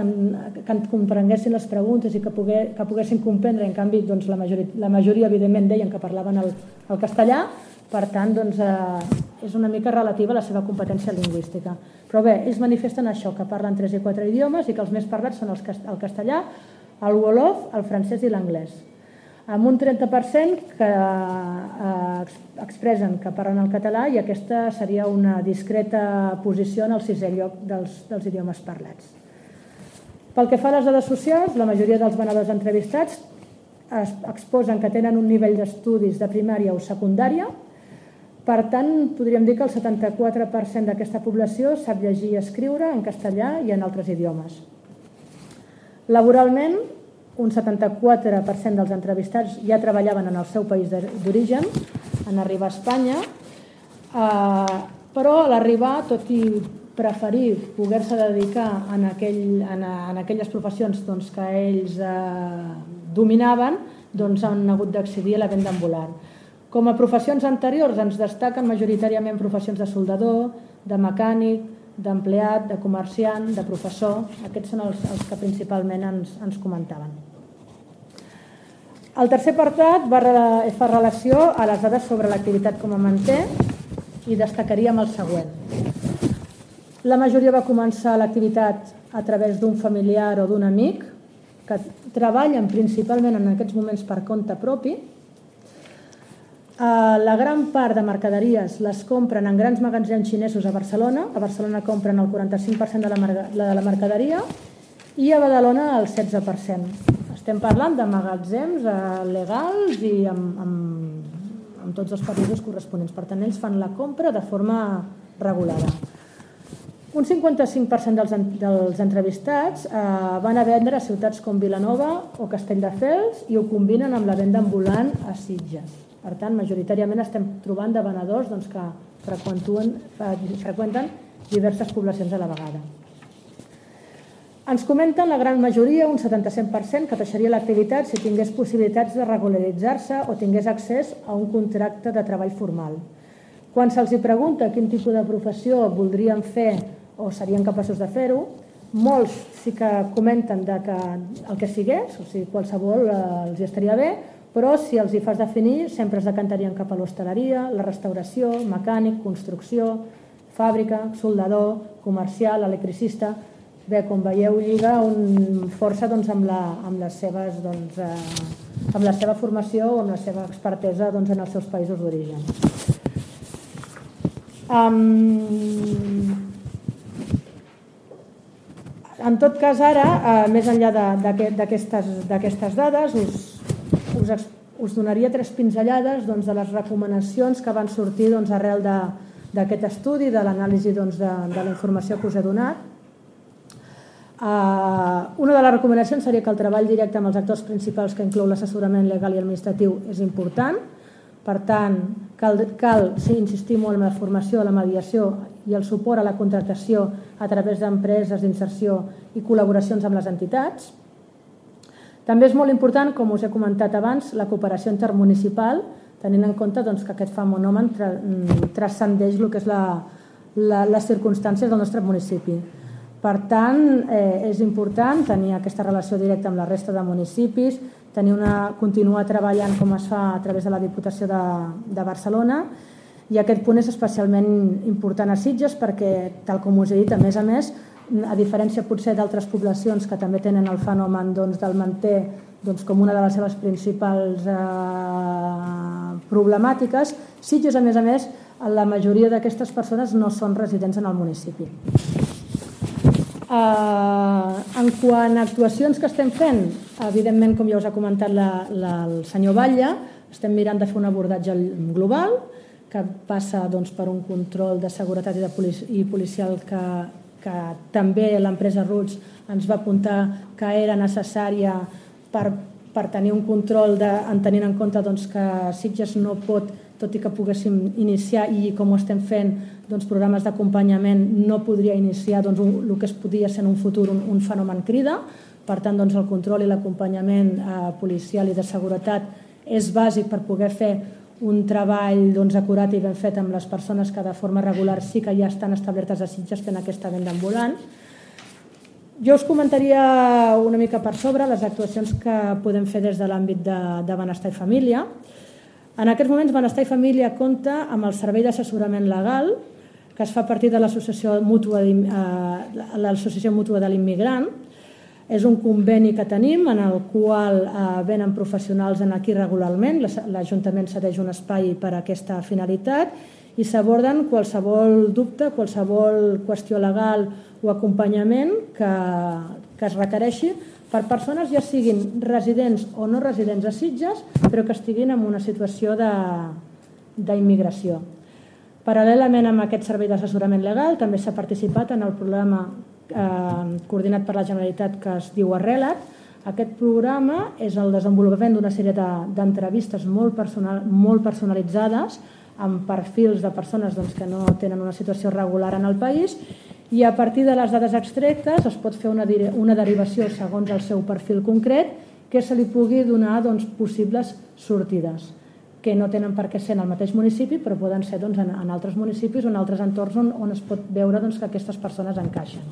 comprenguessin les preguntes i que poguessin comprendre. En canvi, la majoria evidentment deien que parlaven el castellà. Per tant, és una mica relativa a la seva competència lingüística. Però bé, ells manifesten això, que parlen 3 i 4 idiomes i que els més parlats són el castellà, el wolof, el francès i l'anglès. Amb un 30% que expressen que parlen el català i aquesta seria una discreta posició en el 6è lloc dels idiomes parlats. Pel que fa a les dades socials, la majoria dels venedors entrevistats exposen que tenen un nivell d'estudis de primària o secundària. Per tant, podríem dir que el 74% d'aquesta població sap llegir i escriure en castellà i en altres idiomes. Laboralment, un 74% dels entrevistats ja treballaven en el seu país d'origen, en arribar a Espanya, però a l'arribar, tot i preferir poder-se dedicar en aquelles professions que ells dominaven, han hagut d'accedir a la venda ambulant. Com a professions anteriors ens destaquen majoritàriament professions de soldador, de mecànic, d'empleat, de comerciant, de professor. Aquests són els que principalment ens comentaven. El tercer apartat fa relació a les dades sobre l'activitat com a manter i destacaríem el següent. La majoria va començar l'activitat a través d'un familiar o d'un amic que treballen principalment en aquests moments per compte propi. La gran part de mercaderies les compren en grans magatzems xinesos a Barcelona. A Barcelona compren el 45% de la mercaderia i a Badalona el 16%. Estem parlant de magatzems legals i amb tots els permisos corresponents. Per tant, ells fan la compra de forma regulada. Un 55% dels entrevistats van a vendre a ciutats com Vilanova o Castelldefels i ho combinen amb la venda ambulant a Sitges. Per tant, majoritàriament estem trobant de venedors que freqüenten diverses poblacions a la vegada. Ens comenten la gran majoria, un 77%, que deixaria l'activitat si tingués possibilitats de regularitzar-se o tingués accés a un contracte de treball formal. Quan se'ls pregunta quin tipus de professió voldrien fer o serien capaços de fer-ho, molts sí que comenten que el que sigués, o sigui, qualsevol els estaria bé, però si els hi fas definir sempre es decantarien cap a l'hostaleria, la restauració, mecànic, construcció, fàbrica, soldador, comercial, electricista. Bé, com veieu, lliga força amb la seva formació o amb la seva expertesa en els seus països d'origen. En tot cas, ara, més enllà d'aquestes dades, us donaria 3 pinzellades de les recomanacions que van sortir arrel d'aquest estudi, de l'anàlisi de la informació que us he donat. Una de les recomanacions seria que el treball directe amb els actors principals, que inclou l'assessorament legal i administratiu, és important. Per tant, cal insistir molt en la formació, la mediació i el suport a la contractació a través d'empreses d'inserció i col·laboracions amb les entitats. També és molt important, com us he comentat abans, la cooperació intermunicipal, tenint en compte que aquest fenomen transcendeix el que és les circumstàncies del nostre municipi. Per tant, és important tenir aquesta relació directa amb la resta de municipis, continuar treballant com es fa a través de la Diputació de Barcelona, i aquest punt és especialment important a Sitges perquè, tal com us he dit, a més, a diferència potser d'altres poblacions que també tenen el fenomen del manter com una de les seves principals problemàtiques. Sitges, a més, la majoria d'aquestes persones no són residents en el municipi. En quant a actuacions que estem fent, evidentment, com ja us ha comentat el senyor Batlle, estem mirant de fer un abordatge global que passa per un control de seguretat i policial que també l'empresa Roots ens va apuntar que era necessària per tenir un control tenint en compte que Sitges no pot, tot i que poguéssim iniciar i com ho estem fent programes d'acompanyament, no podria iniciar el que es podia ser en un futur un fenomen crida. Per tant, el control i l'acompanyament policial i de seguretat és bàsic per poder fer un treball acurat i ben fet amb les persones que de forma regular sí que ja estan establertes a Sitges fent aquesta venda ambulant. Jo us comentaria una mica per sobre les actuacions que podem fer des de l'àmbit de benestar i família. En aquests moments, Benestar i Família compta amb el servei d'assessorament legal que es fa a partir de l'Associació Mútua de l'Immigrant. És un conveni que tenim en el qual venen professionals aquí regularment. L'Ajuntament cedeix un espai per a aquesta finalitat i s'aborden qualsevol dubte, qualsevol qüestió legal o acompanyament que es requereixi per persones ja siguin residents o no residents a Sitges, però que estiguin en una situació d'immigració. Paral·lelament amb aquest servei d'assessorament legal també s'ha participat en el programa coordinat per la Generalitat que es diu Arrela't. Aquest programa és el desenvolupament d'una sèrie d'entrevistes molt personalitzades amb perfils de persones que no tenen una situació regular en el país i a partir de les dades extractes es pot fer una derivació segons el seu perfil concret que se li pugui donar possibles sortides que no tenen per què ser en el mateix municipi però poden ser en altres municipis o en altres entorns on es pot veure que aquestes persones encaixen.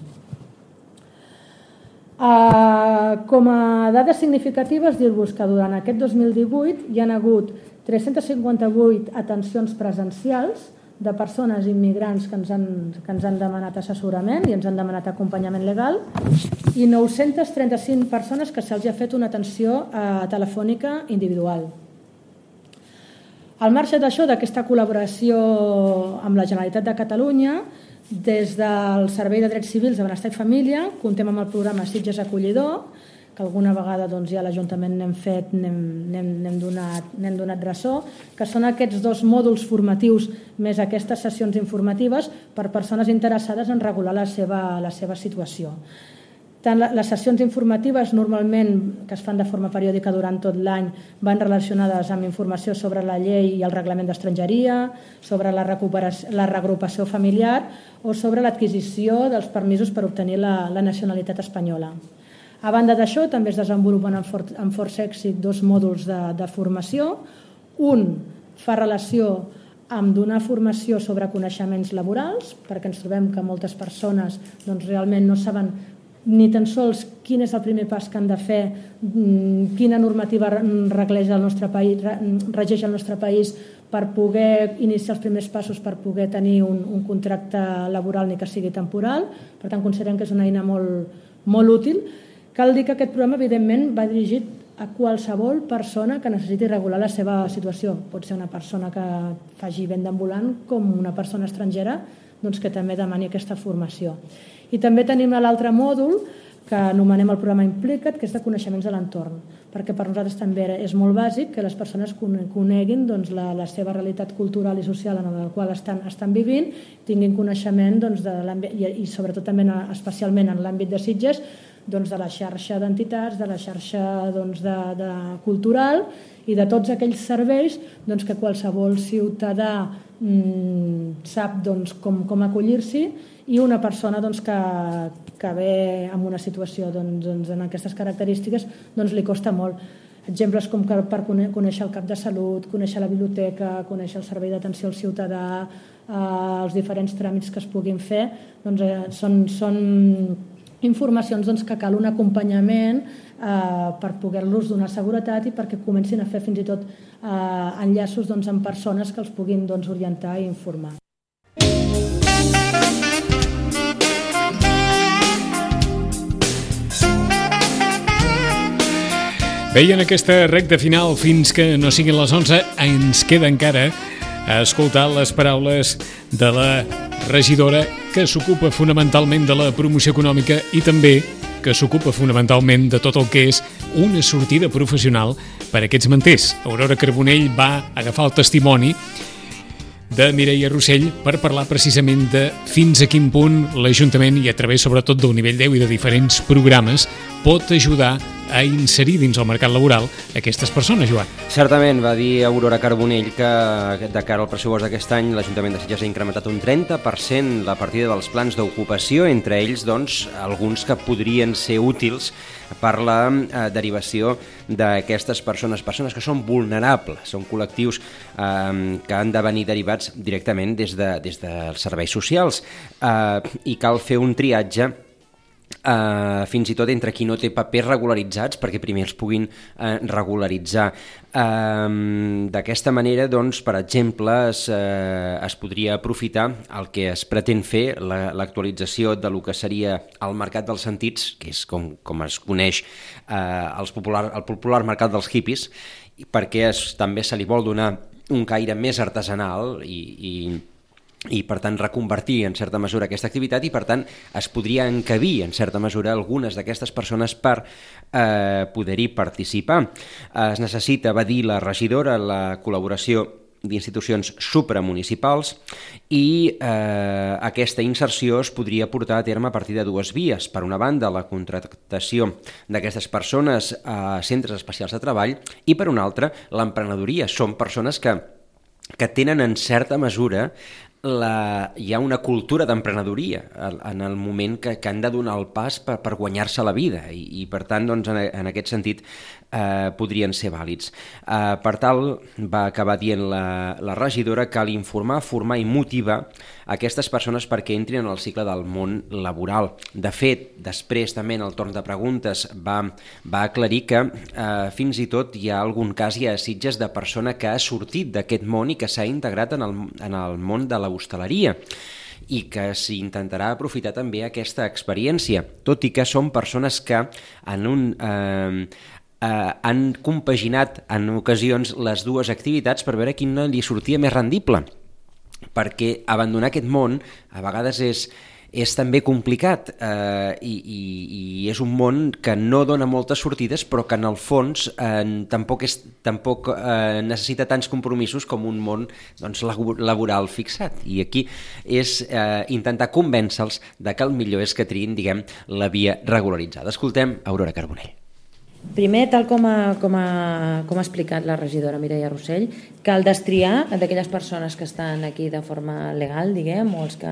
Com a dades significatives, dir-vos que durant aquest 2018 hi ha hagut 358 atencions presencials de persones immigrants que ens han demanat assessorament i ens han demanat acompanyament legal i 935 persones que se'ls ha fet una atenció telefònica individual. Al marge d'això, d'aquesta col·laboració amb la Generalitat de Catalunya, des del Servei de Drets Civils de Benestar i Família comptem amb el programa Sitges Acollidor, que alguna vegada ja a l'Ajuntament n'hem donat ressò, que són aquests 2 mòduls formatius més aquestes sessions informatives per persones interessades en regular la seva situació. Tant les sessions informatives normalment que es fan de forma periòdica durant tot l'any van relacionades amb informació sobre la llei i el reglament d'estrangeria, sobre la reagrupació familiar o sobre l'adquisició dels permisos per obtenir la nacionalitat espanyola. A banda d'això, també es desenvolupen amb força èxit 2 mòduls de formació. Un fa relació amb donar formació sobre coneixements laborals, perquè ens trobem que moltes persones realment no saben ni tan sols quin és el primer pas que han de fer, quina normativa regeix el nostre país per poder iniciar els primers passos per poder tenir un contracte laboral ni que sigui temporal. Per tant, considerem que és una eina molt útil. Cal dir que aquest programa, evidentment, va dirigit a qualsevol persona que necessiti regular la seva situació. Pot ser una persona que faci venda ambulant com una persona estrangera que també demani aquesta formació. I també tenim l'altre mòdul que anomenem el programa Implica't, que és de coneixements de l'entorn, perquè per nosaltres també és molt bàsic que les persones coneguin la seva realitat cultural i social en la qual estan vivint, tinguin coneixement i sobretot també especialment en l'àmbit de Sitges, de la xarxa d'entitats, de la xarxa cultural i de tots aquells serveis que qualsevol ciutadà sap com acollir-s'hi i una persona que ve en una situació en aquestes característiques li costa molt. Exemples com per conèixer el CAP de Salut, conèixer la biblioteca, conèixer el servei d'atenció al ciutadà, els diferents tràmits que es puguin fer, són informacions que cal un acompanyament per poder-los donar seguretat i perquè comencin a fer fins i tot enllaços amb persones que els puguin orientar i informar. Bé, i en aquesta recta final, fins que no siguin les 11, ens queda encara a escoltar les paraules de la regidora que s'ocupa fonamentalment de la promoció econòmica i també que s'ocupa fonamentalment de tot el que és una sortida professional per a aquests manters. Aurora Carbonell va agafar el testimoni de Mireia Rossell per parlar precisament de fins a quin punt l'Ajuntament, i a través sobretot del nivell 10 i de diferents programes, pot ajudar a inserir dins el mercat laboral aquestes persones, Joan. Certament, va dir Aurora Carbonell que de cara al pressupost d'aquest any l'Ajuntament de Sitges ha incrementat un 30% la partida dels plans d'ocupació, entre ells doncs, alguns que podrien ser útils per la derivació d'aquestes persones que són vulnerables, són col·lectius que han de venir derivats directament des dels serveis socials i cal fer un triatge fins i tot entre qui no té papers regularitzats perquè primer els puguin regularitzar. D'aquesta manera, doncs, per exemple, es podria aprofitar el que es pretén fer, l'actualització de lo que seria el mercat dels sentits, que és com es coneix el popular mercat dels hippies, perquè també se li vol donar un caire més artesanal i per tant reconvertir en certa mesura aquesta activitat i per tant es podria encabir en certa mesura algunes d'aquestes persones per poder-hi participar. Es necessita, va dir la regidora, la col·laboració d'institucions supramunicipals i aquesta inserció es podria portar a terme a partir de dues vies. Per una banda, la contractació d'aquestes persones a centres especials de treball i per una altra, l'emprenedoria. Són persones que tenen en certa mesura hi ha una cultura d'emprenedoria en el moment que han de donar el pas per guanyar-se la vida i per tant doncs, en aquest sentit podrien ser vàlids. Per tal, va acabar dient la regidora, cal informar, formar i motivar aquestes persones perquè entrin en el cicle del món laboral. De fet, després també en el torn de preguntes va aclarir que fins i tot hi ha algun cas ja a Sitges de persona que ha sortit d'aquest món i que s'ha integrat en el món de l'hostaleria i que s'intentarà aprofitar també aquesta experiència, tot i que són persones que han compaginat en ocasions les dues activitats per veure quina li sortia més rendible, perquè abandonar aquest món a vegades és també complicat i és un món que no dona moltes sortides però que en el fons tampoc necessita tants compromisos com un món doncs, laboral fixat i aquí és intentar convèncer-los de que el millor és que triïn la via regularitzada. Escoltem Aurora Carbonell. Primer, tal com ha explicat la regidora Mireia Rossell, cal destriar d'aquelles persones que estan aquí de forma legal, o els que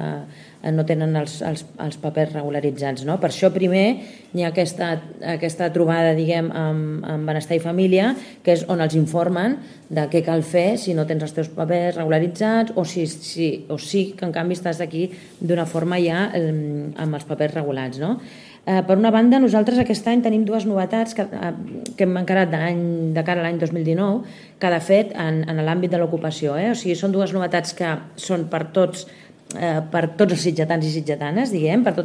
no tenen els papers regularitzats. No? Per això primer hi ha aquesta trobada amb Benestar i Família, que és on els informen de què cal fer si no tens els teus papers regularitzats o sí que en canvi estàs aquí d'una forma ja amb els papers regulats. No? Per una banda, nosaltres aquest any tenim dues novetats que hem encarat de cara a l'any 2019, que de fet en l'àmbit de l'ocupació. O sigui, són dues novetats que són per tots els sitgetans i sitgetanes, per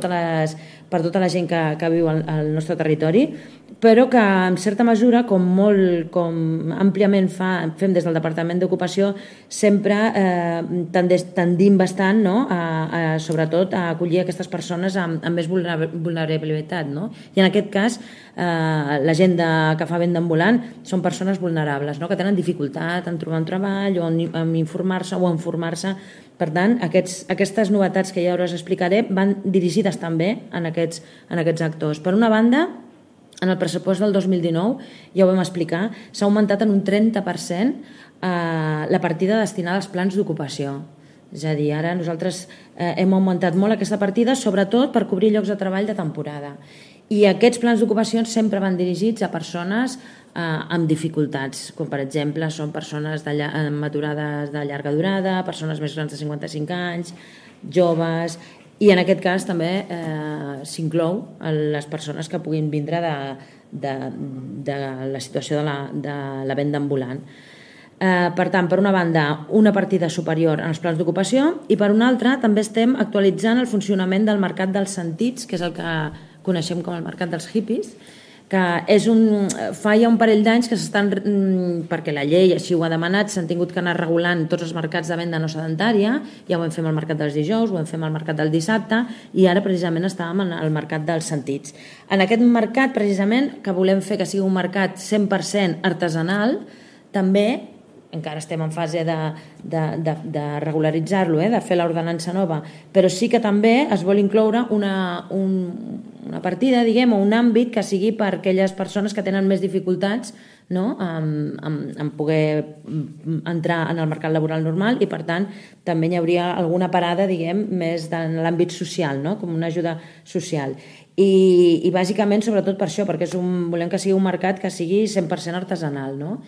tota la gent que viu al nostre territori, però que en certa mesura, com àmpliament fem des del Departament d'Ocupació, sempre tendim bastant sobretot a acollir aquestes persones amb més vulnerabilitat. I en aquest cas, la gent que fa venda ambulant són persones vulnerables, que tenen dificultat en trobar un treball o en informar-se o en formar-se. Per tant, aquestes novetats que ja us explicaré van dirigides també en aquests actors. Per una banda, en el pressupost del 2019, ja ho vam explicar, s'ha augmentat en un 30% la partida destinada als plans d'ocupació. És a dir, ara nosaltres hem augmentat molt aquesta partida, sobretot per cobrir llocs de treball de temporada. I aquests plans d'ocupació sempre van dirigits a persones amb dificultats, com per exemple són persones amb aturades de llarga durada, persones més grans de 55 anys, joves, i en aquest cas també s'inclou les persones que puguin vindre de la situació de la venda ambulant. Per tant, per una banda, una partida superior en els plans d'ocupació i per una altra també estem actualitzant el funcionament del mercat dels sentits, que és el que coneixem com el mercat dels hippies, que fa ja un parell d'anys que s'estan, perquè la llei així ho ha demanat, s'han tingut que anar regulant tots els mercats de venda no sedentària, ja ho vam fer amb el mercat dels dijous, ho vam fer amb el mercat del dissabte i ara precisament estàvem en el mercat dels sentits. En aquest mercat precisament, que volem fer que sigui un mercat 100% artesanal, també encara estem en fase de regularitzar-lo, de fer l'ordenança nova, però sí que també es vol incloure una partida, diguem, o un àmbit que sigui per a aquelles persones que tenen més dificultats en poder entrar en el mercat laboral normal i, per tant, també hi hauria alguna parada, diguem, més en l'àmbit social, no? Com una ajuda social. I bàsicament, sobretot per això, perquè volem que sigui un mercat que sigui 100% artesanal, no?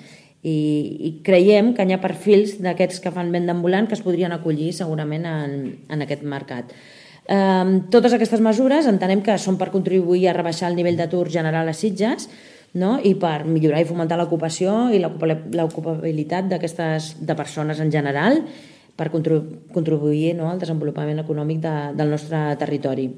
I creiem que hi ha perfils d'aquests que fan venda ambulant que es podrien acollir segurament en aquest mercat. Totes aquestes mesures entenem que són per contribuir a rebaixar el nivell d'atur general a Sitges, no? I per millorar i fomentar l'ocupació i l'ocupabilitat de persones en general, per contribuir al desenvolupament econòmic del nostre territori.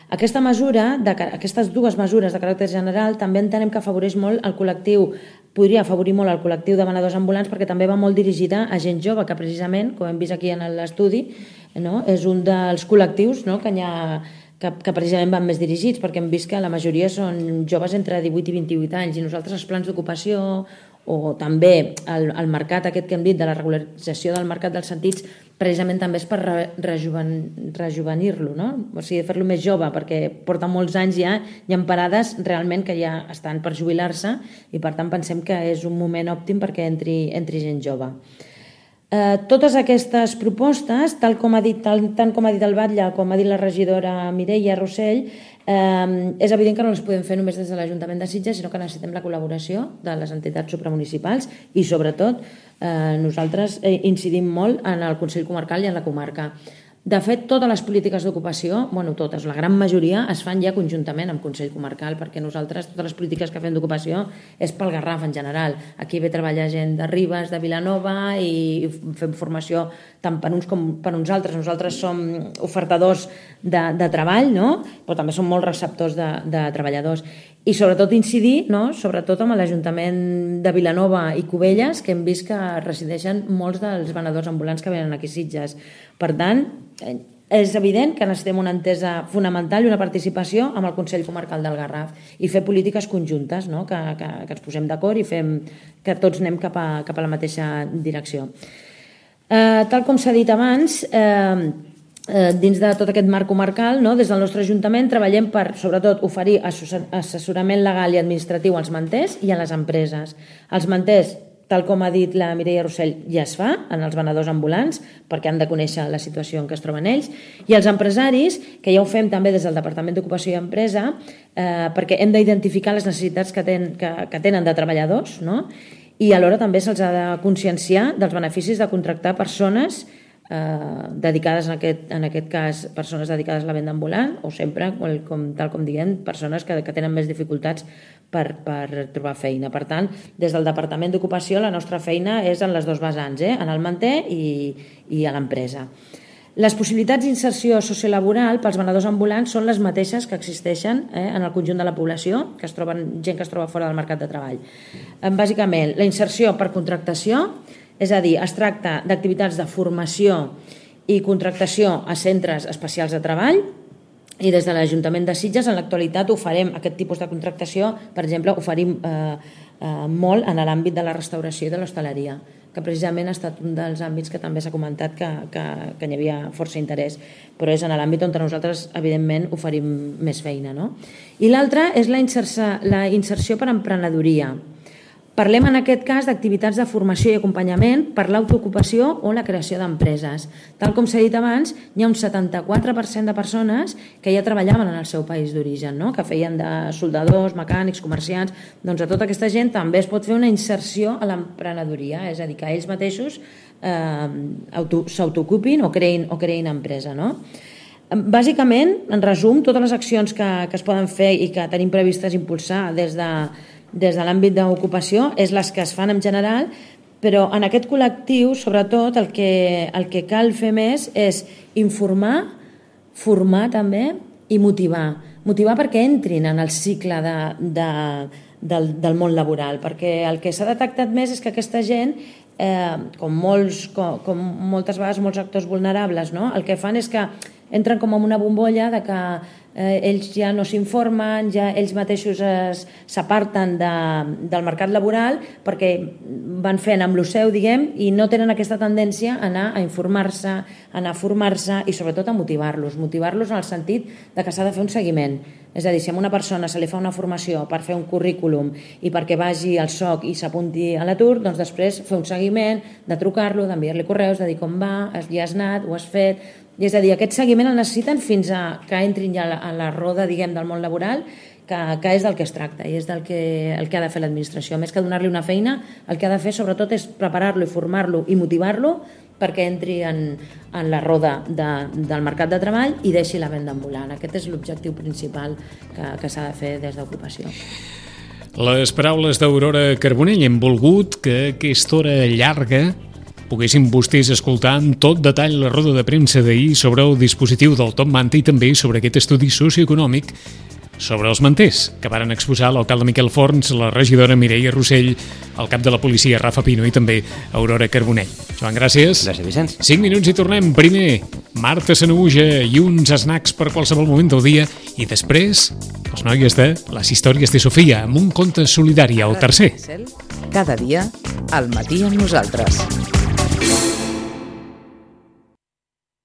Aquestes dues mesures de caràcter general també entenem que afavoreix molt el col·lectiu, podria afavorir molt el col·lectiu de venedors ambulants, perquè també va molt dirigida a gent jove, que precisament, com hem vist aquí en l'estudi, és un dels col·lectius que precisament van més dirigits, perquè hem vist que la majoria són joves entre 18 i 28 anys, i nosaltres els plans d'ocupació o també el mercat aquest que hem dit de la regularització del mercat dels sentits precisament també és per rejuvenir-lo, no? O sigui, fer-lo més jove, perquè porta molts anys ja, hi ha parades realment que ja estan per jubilar-se i per tant pensem que és un moment òptim perquè entri gent jove. Totes aquestes propostes, tant com ha dit el Batlle com ha dit la regidora Mireia Rossell, és evident que no les podem fer només des de l'Ajuntament de Sitges, sinó que necessitem la col·laboració de les entitats supramunicipals i sobretot nosaltres incidim molt en el Consell Comarcal i en la comarca. De fet, totes les polítiques d'ocupació, totes, la gran majoria, es fan ja conjuntament amb Consell Comarcal, perquè nosaltres, totes les polítiques que fem d'ocupació és pel Garraf en general. Aquí ve treballar gent de Ribes, de Vilanova, i fem formació tant per uns com per uns altres. Nosaltres som ofertadors de treball, no? Però també som molt receptors de treballadors. I sobretot incidir, sobretot amb l'Ajuntament de Vilanova i Cubelles, que hem vist que resideixen molts dels venedors ambulants que venen aquí a Sitges. Per tant, és evident que necessitem una entesa fonamental i una participació amb el Consell Comarcal del Garraf i fer polítiques conjuntes, que ens posem d'acord i fem que tots anem cap a la mateixa direcció. Tal com s'ha dit abans, dins de tot aquest marc comarcal, des del nostre Ajuntament treballem per, sobretot, oferir assessorament legal i administratiu als manters i a les empreses. Els manters, tal com ha dit la Mireia Rossell, ja es fa en els venedors ambulants, perquè han de conèixer la situació en què es troben ells, i els empresaris, que ja ho fem també des del Departament d'Ocupació i Empresa, perquè hem d'identificar les necessitats que tenen de treballadors, i alhora també se'ls ha de conscienciar dels beneficis de contractar persones dedicades, en aquest cas, persones dedicades a la venda ambulant, o sempre, tal com diguem, persones que tenen més dificultats per trobar feina. Per tant, des del Departament d'Ocupació la nostra feina és en les dues vessants, en el manter i a l'empresa. Les possibilitats d'inserció sociolaboral pels venedors ambulants són les mateixes que existeixen en el conjunt de la població, gent que es troba fora del mercat de treball. Bàsicament, la inserció per contractació, és a dir, es tracta d'activitats de formació i contractació a centres especials de treball, i des de l'Ajuntament de Sitges en l'actualitat oferim aquest tipus de contractació, per exemple, oferim molt en l'àmbit de la restauració i de l'hostaleria, que precisament ha estat un dels àmbits que també s'ha comentat que hi havia força interès, però és en l'àmbit on nosaltres, evidentment, oferim més feina. I l'altre és la inserció per emprenedoria. Parlem en aquest cas d'activitats de formació i acompanyament per l'autoocupació o la creació d'empreses. Tal com s'ha dit abans, hi ha un 74% de persones que ja treballaven en el seu país d'origen, que feien de soldadors, mecànics, comerciants. Doncs a tota aquesta gent també es pot fer una inserció a l'emprenedoria, és a dir, que ells mateixos s'autoocupin o creïn empresa. Bàsicament, en resum, totes les accions que es poden fer i que tenim previstes impulsar des de l'àmbit d'ocupació és les que es fan en general, però en aquest col·lectiu, sobretot, el que cal fer més és informar, formar també i motivar. motivar perquè entrin en el cicle del món laboral, perquè el que s'ha detectat més és que aquesta gent, com moltes vegades molts actors vulnerables, no? El que fan és que entren com en una bombolla de que ells ja no s'informen, ja ells mateixos s'aparten del mercat laboral perquè van fent amb lo seu, diguem, i no tenen aquesta tendència a anar a informar-se, a anar a formar-se i sobretot a motivar-los en el sentit de que s'ha de fer un seguiment. És a dir, si a una persona se li fa una formació per fer un currículum i perquè vagi al SOC i s'apunti a l'atur, doncs després fer un seguiment, de trucar-lo, d'enviar-li correus, de dir com va, ja has anat, ho has fet. I és a dir, aquest seguiment el necessiten fins a que entrin ja a la roda, diguem, del món laboral, que és del que es tracta i és el que ha de fer l'administració. Més que donar-li una feina, el que ha de fer sobretot és preparar-lo i formar-lo i motivar-lo perquè entri en la roda del mercat de treball i deixi la venda ambulant. Aquest és l'objectiu principal que s'ha de fer des d'ocupació. Les paraules d'Aurora Carbonell hem volgut que aquesta hora llarga poguessin vostès escoltar amb tot detall la roda de premsa d'ahir sobre el dispositiu del Top Manta i també sobre aquest estudi socioeconòmic sobre els manters, que varen exposar l'alcalde Miquel Forns, la regidora Mireia Rossell, el cap de la policia Rafa Pino i també Aurora Carbonell. Joan, gràcies. Gràcies, Vicenç. 5 minuts i tornem. Primer, Marta Sanaüja i uns snacks per qualsevol moment del dia i després, les noies de Les històries de Sofia amb un conte solidari al tercer. Cada dia, al matí amb nosaltres.